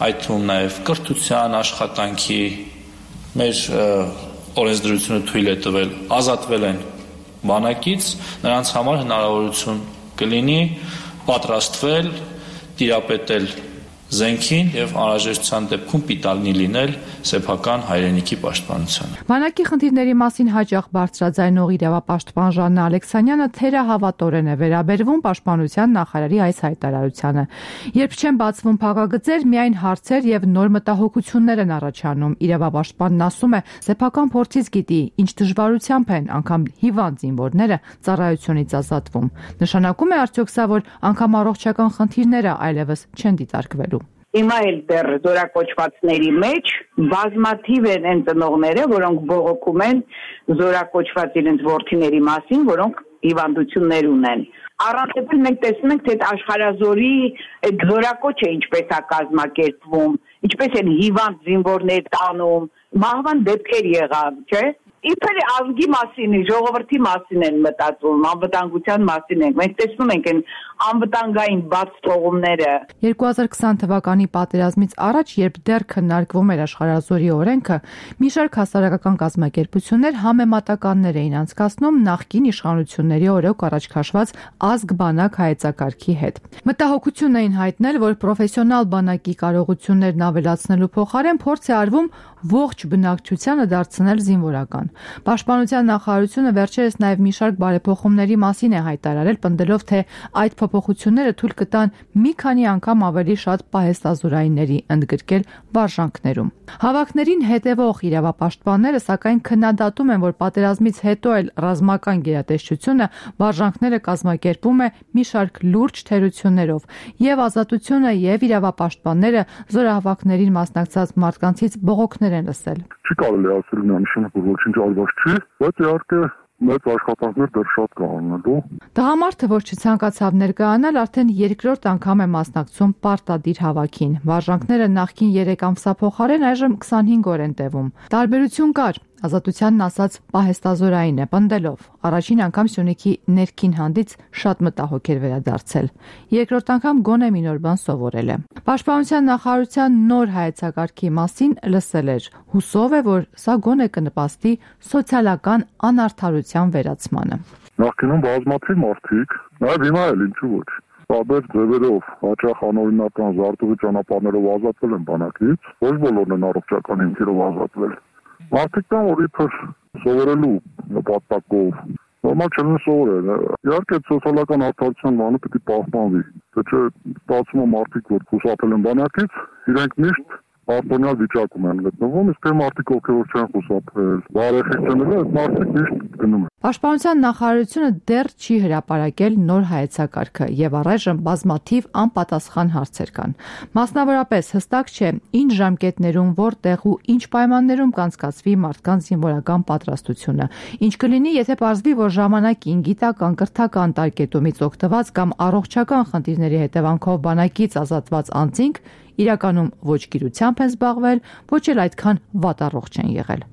այդ թվում նաև կրթության, աշխատանքի, մեր օրենսդրությունը թույլ է տվել, ազատվել են բանակից, նրանց համար հնարավորություն կլինի պատրաստվել, տիրապետել զենքին եւ անհրաժեշտության դեպքում պիտանի լինել սեփական հայրենիքի պաշտպանությանը։ Բանակի խնդիրների մասին հաճախ բարձրաձայնող իրավապաշտպան Ժաննա Ալեքսանյանը թերահավատորեն է վերաբերվում պաշտպանության նախարարի այս հայտարարությանը։ Երբ չեն բացվում փակագծեր, միայն հարցեր եւ նոր մտահոգություններ են առաջանում։ Իրավապաշտպանն ասում է, սեփական փորձից գիտի, ինչ դժվարությամբ են անգամ հիվանդ զինվորները ծառայությունից ազատվում։ Նշանակում է արդյոք սա, որ անգամ առողջական խնդիրները այլևս չեն դիտարկվելու։ Հիմա էլ դեռ զորակոչվածների մեջ բազմաթիվ են այն ծնողները, որոնք բողոքում են զորակոչված իրենց որդիների մասին, որոնք հիվանդություններ ունեն։ Առանցել մենք տեսնում ենք, թե աշխարհազորի այդ զորակոչը ինչպես է կազմակերպվում, ինչպես են հիվանդ զինվորներ տանում, մահվան դեպքեր եղավ, չէ՞։ Իբր ազգի մասին, ժողովրդի մասին են մտածում, անվտանգության մասին են։ Մենք տեսնում ենք այն անվտանգային բաց թողումները։ երկու հազար քսան թվականի պատերազմից առաջ, երբ դեռ քննարկվում էր աշխարհազորի օրենքը, մի շարք հասարակական կազմակերպություններ համեմատականներ էին անցկացնում նախկին իշխանությունների օրոք առաջ քաշված ազգ բանակ հայեցակարգի հետ։ Մտահոգություն էին հայտնել, որ պրոֆեսիոնալ բանակի կարողություններն ավելացնելու փոխարեն փորձ է արվում ողջ բնակչությանը դարձնել զինվորական։ Պաշտպանության նախարարությունը վերջերս նաև մի շարք բարեփոխումների մասին է հայտարարել, պնդելով, թե այդ փոփոխությունները թույլ կտան մի քանի անգամ ավելի շատ պահեստազորայինների ընդգրկել վարժանքներում։ Հավաքներին հետևող իրավապաշտպանները սակայն քննադատում են, որ պատերազմից հետո էլ ռազմական գերատեսչությունը վարժանքները կազմակերպում է մի շարք լուրջ թերություններով, եւ ազատությունը եւ իրավապաշտպանները զորահավաքներին մասնակցած մարդկանցից բողոքներ են լսել։ Չի կարելի ասել նշանակում, որ ոչինչ արված չի, բայց իհարկե մեծ աշխատանքներ դեռ շատ կա անելու։ Տղամարդը, որ չցանկացավ ներկայանալ, արդեն երկրորդ անգամ է մասնակցում պարտադիր հավաքին։ Վարժանքները նախկին երեք ամսվա փոխարեն այժմ քսանհինգ օր են տևում։ Տարբերություն կար։ Ազատությանն ասած պահեստազորային է, պնդելով առաջին անգամ Սյունիքի ներքին հանդից շատ մտահոգ էր վերադարձել։ Երկրորդ անգամ գոնե մի նոր բան սովորել է։ Պաշտպանության նախարարության նոր հայեցակարգի մասին լսել էր։ Հուսով է, որ սա գոնե կնպաստի սոցիալական անարդարության վերացմանը։ Նախկինում բազմաթիվ մարդիկ, նաև հիմա էլ ինչու ոչ, տարբեր ձևերով հաճախ անօրինական զարտուղի ճանապարհներով ազատվել են բանակից, ոչ բոլորն են առողջական հիմքերով ազատվել։ Մարդիկ կան, որ իբր սովորելու նպատակով, նորմալ չեն սովորել։ Իհարկե սոցիալական արդարության բանը պետք է պահպանվի։ Թե չէ ստացվում է մարդիկ, որ խուսափել են բանակից, իրենք միշտ արտոնյալ վիճակում են գտնվում, իսկ այն մարդիկ, ովքեր որ չեն խուսափել, բարեխիղճները, այդ մարդիկ միշտ գնում են։ Պաշտպանության նախարարությունը դեռ չի հրապարակել նոր հայեցակարգը եւ առայժմ բազմաթիվ անպատասխան հարցեր կան։ Մասնավորապես հստակ չէ ինչ ժամկետներում, որտեղ ու ինչ պայմաններում կանցկացվի մարդկանց զինվորական պատրաստությունը։ Ինչ կլինի, եթե պարզվի, որ ժամանակին գիտական, կրթական տարկետումից օգտված կամ առողջական խնդիրների հետևանքով բանակից ազատված անձինք իրականում ոչ գիրությամբ են զբաղվել, ոչ էլ այդքան վատառողջ են եղել։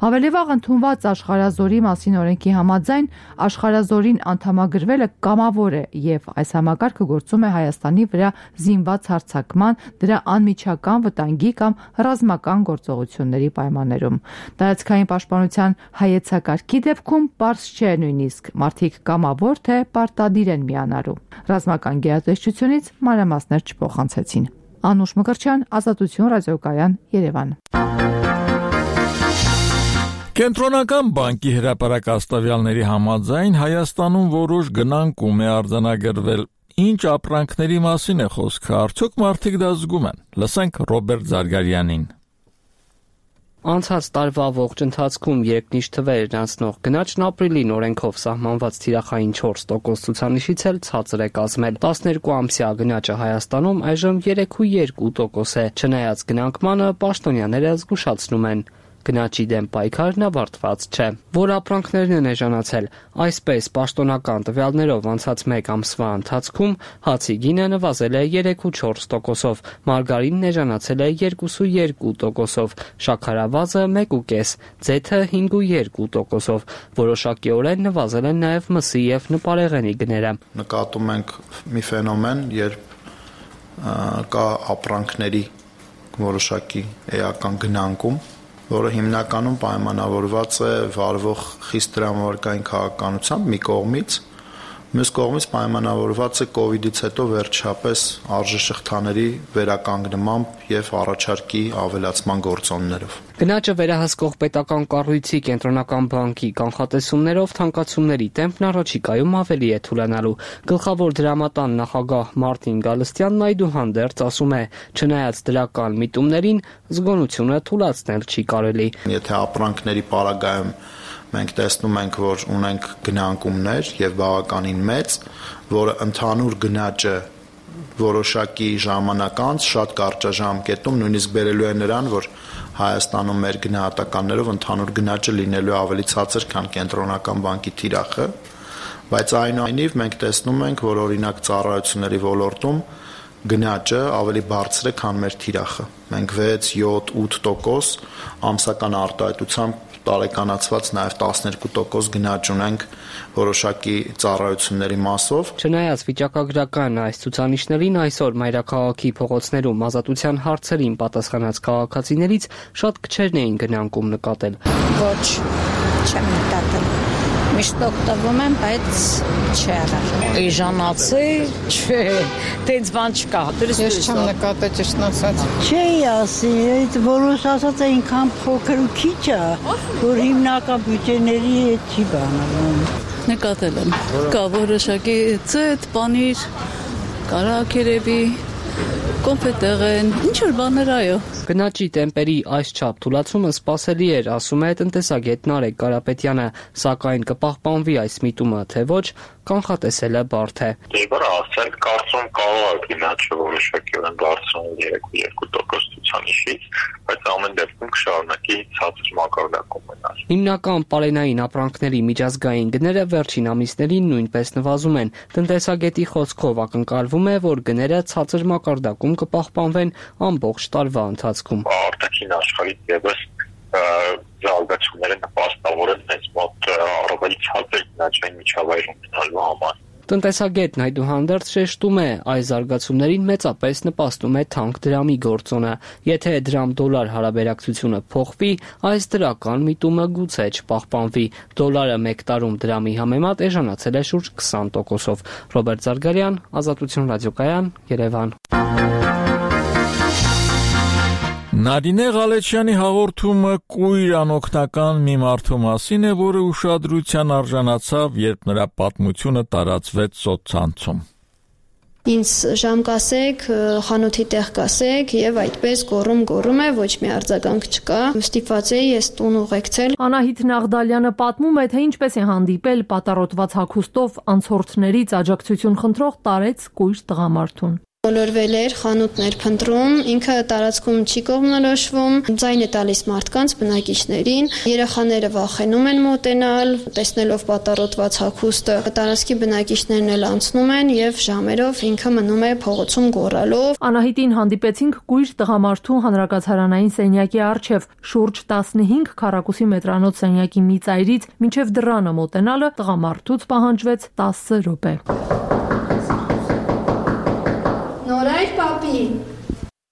Ավելի վաղ ընդունված աշխարհազորի մասին օրենքի համաձայն աշխարհազորին անդամագրվելը կամավոր է եւ այս համակարգը գործում է Հայաստանի վրա զինված հարձակման, դրա անմիջական վտանգի կամ ռազմական գործողությունների պայմաններում։ Տարածքային պաշտպանության հայեցակարգի դեպքում պարզ չէ նույնիսկ մարդիկ կամավոր թե պարտադիր են միանալու։ Ռազմական գերատեսչությունից մանրամասներ չփոխանցեցին։ Անուշ Մկրտչյան, Ազատություն ռադիոկայան, Երևան։ Կենտրոնական բանկի հրապարակաստավյալների համաձայն Հայաստանում որոշ գնանկում է արձանագրվել։ Ինչ ապրանքների մասին է խոսքը, արդյոք մարդիկ դա զգում են։ Լսենք Ռոբերտ Զարգարյանին։ Անցած տարվա ողջ ընթացքում երկնիշ թվերն անցնող գնաճն ապրիլին օրենքով սահմանված թիրախային չորս տոկոս ցուցանիշից էլ ցածր է կազմել։ տասներկու ամսյա գնաճը Հայաստանում այժմ երեք կόμμα երկու տոկոս է։ Չնայած գնանկմանը, պաշտոնյաները զգուշացնում են. Գնաճի դեմ պայքարն ավարտված չէ։ Որ ապրանքներն են էժանացել, այսպես պաշտոնական տվյալներով անցած մեկ ամսվա ընթացքում հացի գինը նվազել է երեք ու չորս տոկոսով, մարգարինն էժանացել է երկու ու երկու տոկոսով, շաքարավազը մեկ ու կես, ձեթը հինգ ու երկու տոկոսով։ Որոշակիորեն նվազել են նաև մսի և նպարեղենի գները։ Նկատում ենք մի ֆենոմեն, երբ կա ապրանքների որոշակի էական գնանկում, որը հիմնականում պայմանավորված է վարվող խիստ դրամավարկային քաղաքականությամբ մի կողմից, մյուս կողմից պայմանավորված է կովիդից հետո վերջապես արժեշղթաների վերականգնմամբ և առաջարկի ավելացման գործոններով։ Գնաճը վերահսկող պետական կառույցի կենտրոնական բանկի կանխատեսումներով թանկացումների տեմպն առաջիկայում ավելի է թուլանալու։ Գլխավոր դրամատան նախագահ Մարտին Գալստյանն այդուհանդերձ ասում է, չնայած դրական միտումներին, զգոնությունը թուլացնել չի կարելի։ Եթե ապրանքների պարագայում մենք տեսնում ենք, որ ունենք գնանկումներ և բավականին մեծ, որը ընդհանուր գնաճը որոշակի ժամանակ անց շատ կարճաժամկետում նույնիսկ բերելու է նրան, որ Հայաստանում մեր գնահատականներով ընդհանուր գնաճը լինելու է ավելի ցածր, քան կենտրոնական բանկի թիրախը, բայց այնուամենայնիվ մենք տեսնում ենք, որ օրինակ ծառայությունների ոլորտում գնաճը ավելի բարձր է, քան մեր թիրախը։ Մենք վեց, յոթ, ութ տոկոս ամսական արտահայտությամբ տարեկանացված նաև տասներկու տոկոս գնաճ ունենք որոշակի ծառայությունների մասով։ Չնայած վիճակագրական այս ցուցանիշներին, այսօր մայրաքաղաքի փողոցներում ազատության հարցերին պատասխանած քաղաքացիներից շատ քչերն էին գնանկում նկատել։ Ոչ, չեմ նկատել։ Միշտ օգտվում եմ, բայց չէ առար։ Էժանացի, չէ, տենց բան չկա։ Ես չեմ նկատել, ճիշտն ասած։ Չէ, ասի, այդ որոշ ասած այնքան փոքր ու քիչ է, որ հիմնական բյուջեների հետ չի բանալում։ Նկատել եմ։ Կա որոշակի ծետ, պանիր, կարակերևի, կոնֆետեղեն, ինչ որ բաներ, այո։ Գնաճի տեմպերի այսչափ թուլացումը սպասելի էր, ասում է տնտեսագետ Նարեկ Կարապետյանը, սակայն կպահպանվի այս միտումը, թե ոչ, կանխատեսելը բարդ է։ Դժվար է ասել, կարծում կարող է գնաճը որոշակիորեն բարձրանալ երեք ու երկու տոկոս ցուցանիշից, բայց ամեն դեպքում կշարունակի ցածր մակարդակում մնալ։ Հիմնական պարենային ապրանքների միջազգային գները վերջին ամիսներին նույնպես նվազում են։ Տնտեսագետի խոսքով ակնկալվում է, որ գները ցածր մակարդակում կպահպանվեն ամբողջ տարվա ընթացքում։ Արտաքին աշխարհից ևս զարգացումները նպաստավոր են մեծ մոտ առավել ցածր գնաճային միջավայրում մնալու համար։ Տնտեսագետն այդուհանդերձ շեշտում է, այս զարգացումներին մեծապես նպաստում է թանկ դրամի գործոնը։ Եթե դրամ-դոլար հարաբերակցությունը փոխվի, այս դրական միտումը գուցե չպահպանվի։ Դոլարը մեկ տարում դրամի համեմատ էժանացել է շուրջ քսան տոկոսով։ Ռոբերտ Զարգարյան, Ազատություն ռադիոկայան, Երևան։ Նարինե Ղալեչյանի հաղորդումը կույր անօգնական մի մարդու մասին է, որը ուշադրության արժանացավ, երբ նրա պատմությունը տարածվեց սոցցանցում։ Ինձ ժամ կասեք, խանութի տեղ կասեք եւ այդպես գոռում-գոռում է, ոչ մի արձագանք չկա։ Ստիպված էի ես տուն ուղեկցել։ Անահիտ Նաղդալյանը պատմում է, թե ինչպես է հանդիպել պատառոտված հագուստով անցորդներից աջակցություն խնդրող տարեց կույր տղամարդուն։ Բոլորվել էր, խանութներ փնտրում, ինքը տարածքում չի կողմնորոշվում, ձայն է տալիս մարդկանց, բնակիչներին, երեխաները վախենում են մոտենալ, տեսնելով պատառոտված հագուստը, տարածքի բնակիչներն էլ անցնում են եւ ժամերով ինքը մնում է փողոցում գոռալով։ Անահիտին հանդիպեցինք կույր տղամարդու հանրակացարանային սենյակի առջև, շուրջ տասնհինգ քառակուսի մետրանոց սենյակի մի ծայրից մինչև դռանը մոտենալը տղամարդուց պահանջվեց տասը րոպե։ Նորայր պապի։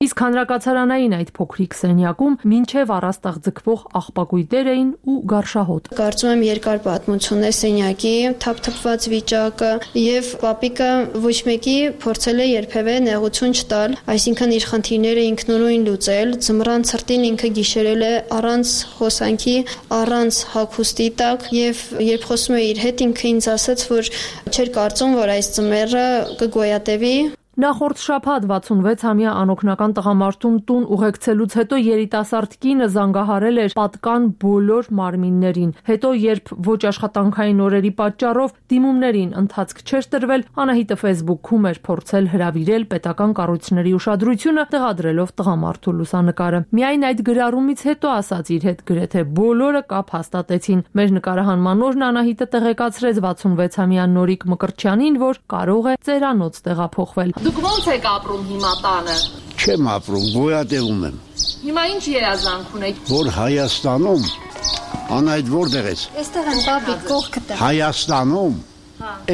Իսկ հանրակացարանային այդ փոքրիկ սենյակում մինչև առաստաղ ձգվող աղբակույտեր էին ու գարշահոտ։ Կարծում եմ երկար պատմություն է սենյակի թափթփված վիճակը եւ պապիկը ոչ մեկի փորձել է երբևէ նեղություն չտալ, այսինքն իր խնդիրները ինքնուրույն լուծել, ձմռան ցրտին ինքը գիշերել է առանց հոսանքի, առանց հագուստի տակ եւ երբ խոսում է իր հետ ինքը ինձ ասաց, որ չէր կարծում, որ այս ձմեռը կգոյատևի։ Նախորդ շաբաթ վաթսունվեցամյա անօգնական տղամարդուն տուն ուղեկցելուց հետո երիտասարդ կինը զանգահարել էր պատկան բոլոր մարմիններին։ Հետո, երբ ոչ աշխատանքային օրերի պատճառով դիմումներին ընթացք չէր տրվել, Անահիտը Facebook-ում էր փորձել հրավիրել պետական կառույցների ուշադրությունը, տեղադրելով տղամարդու լուսանկարը։ Միայն այդ գրառումից հետո, ասաց իր հետ, գրեթե բոլորը կապ հաստատեցին։ Մեր նկարահանման օրն Անահիտը տեղեկացրեց վաթսունվեցամյա Նորիկ Մկրտչյանին, որ կարող է ծերանոց տեղափոխվել։ Դուք ո՞նց եք ապրում հիմա տանը։ Չեմ ապրում, գոյատևում եմ։ Հիմա ինչ երազանք ունեք։ Որ Հայաստանում, Անահիտ որտեղ ես։ Այստեղ եմ բաբի կողքտը։ Հայաստանում,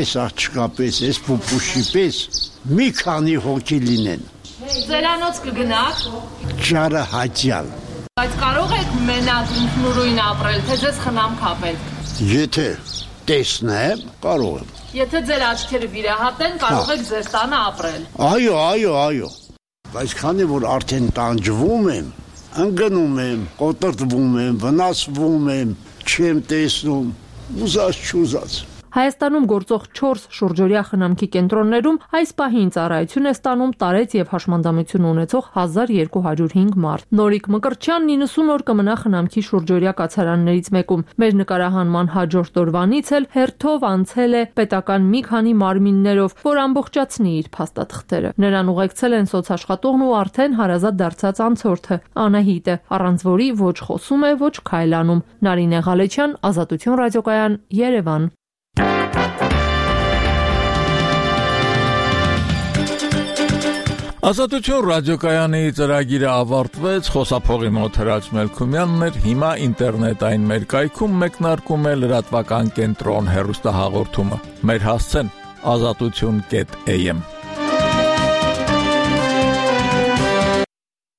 այս աղջկապես, այս պուպուշի պես մի քանի հոգի լինեն։ Ծերանոց կգնաք։ Ճարը հաճյալ։ Բայց կարող եք մենակ ինքնուրույն ապրել, թե ձեզ խնամք ապել։ Եթե տեսնեմ, կարող եմ։ Եթե ձեր աչքերը վիրահատեն, կարող եք ձեր տանը ապրել։ Այո, այո, այո։ Բայց քանի որ արդեն տանջվում եմ, ընկնում եմ, կոտրտվում եմ, վնասվում եմ, չեմ տեսնում, ուզած չուզած։ Հայաստանում գործող չորս շուրջօրյա խնամքի կենտրոններում այս պահին ծառայություն է ստանում տարեց եւ հաշմանդամություն ունեցող հազար երկու հարյուր հինգ մարդ։ Նորիկ Մկրտչյանն իննսուն օր կմնա խնամքի շուրջօրյա կացարաններից մեկում։ Մեր նկարահանման հաջորդ օրվանից էլ հերթով անցել է պետական մի քանի մարմիններով, որ ամբողջացնի իր փաստաթղթերը։ Նրան ուղեկցել են սոցաշխատողն ու արդեն հարազատ դարձած անցորդը Անահիտը, առանց որի ոչ խոսում է, ոչ քայլանում։ Նարինե Ղալեչյան, Ազատություն ռադիոկայան, Երևան։ Ազատություն ռադիոկայանի ծրագիրը ավարտվեց, խոսափողի մոտ Հրաչ Մելքումյանն էր, հիմա ինտերնետային մեր կայքում մեկնարկում է լրատվական կենտրոն հեռուստահաղորդումը։ Մեր հասցեն ազատություն կետ am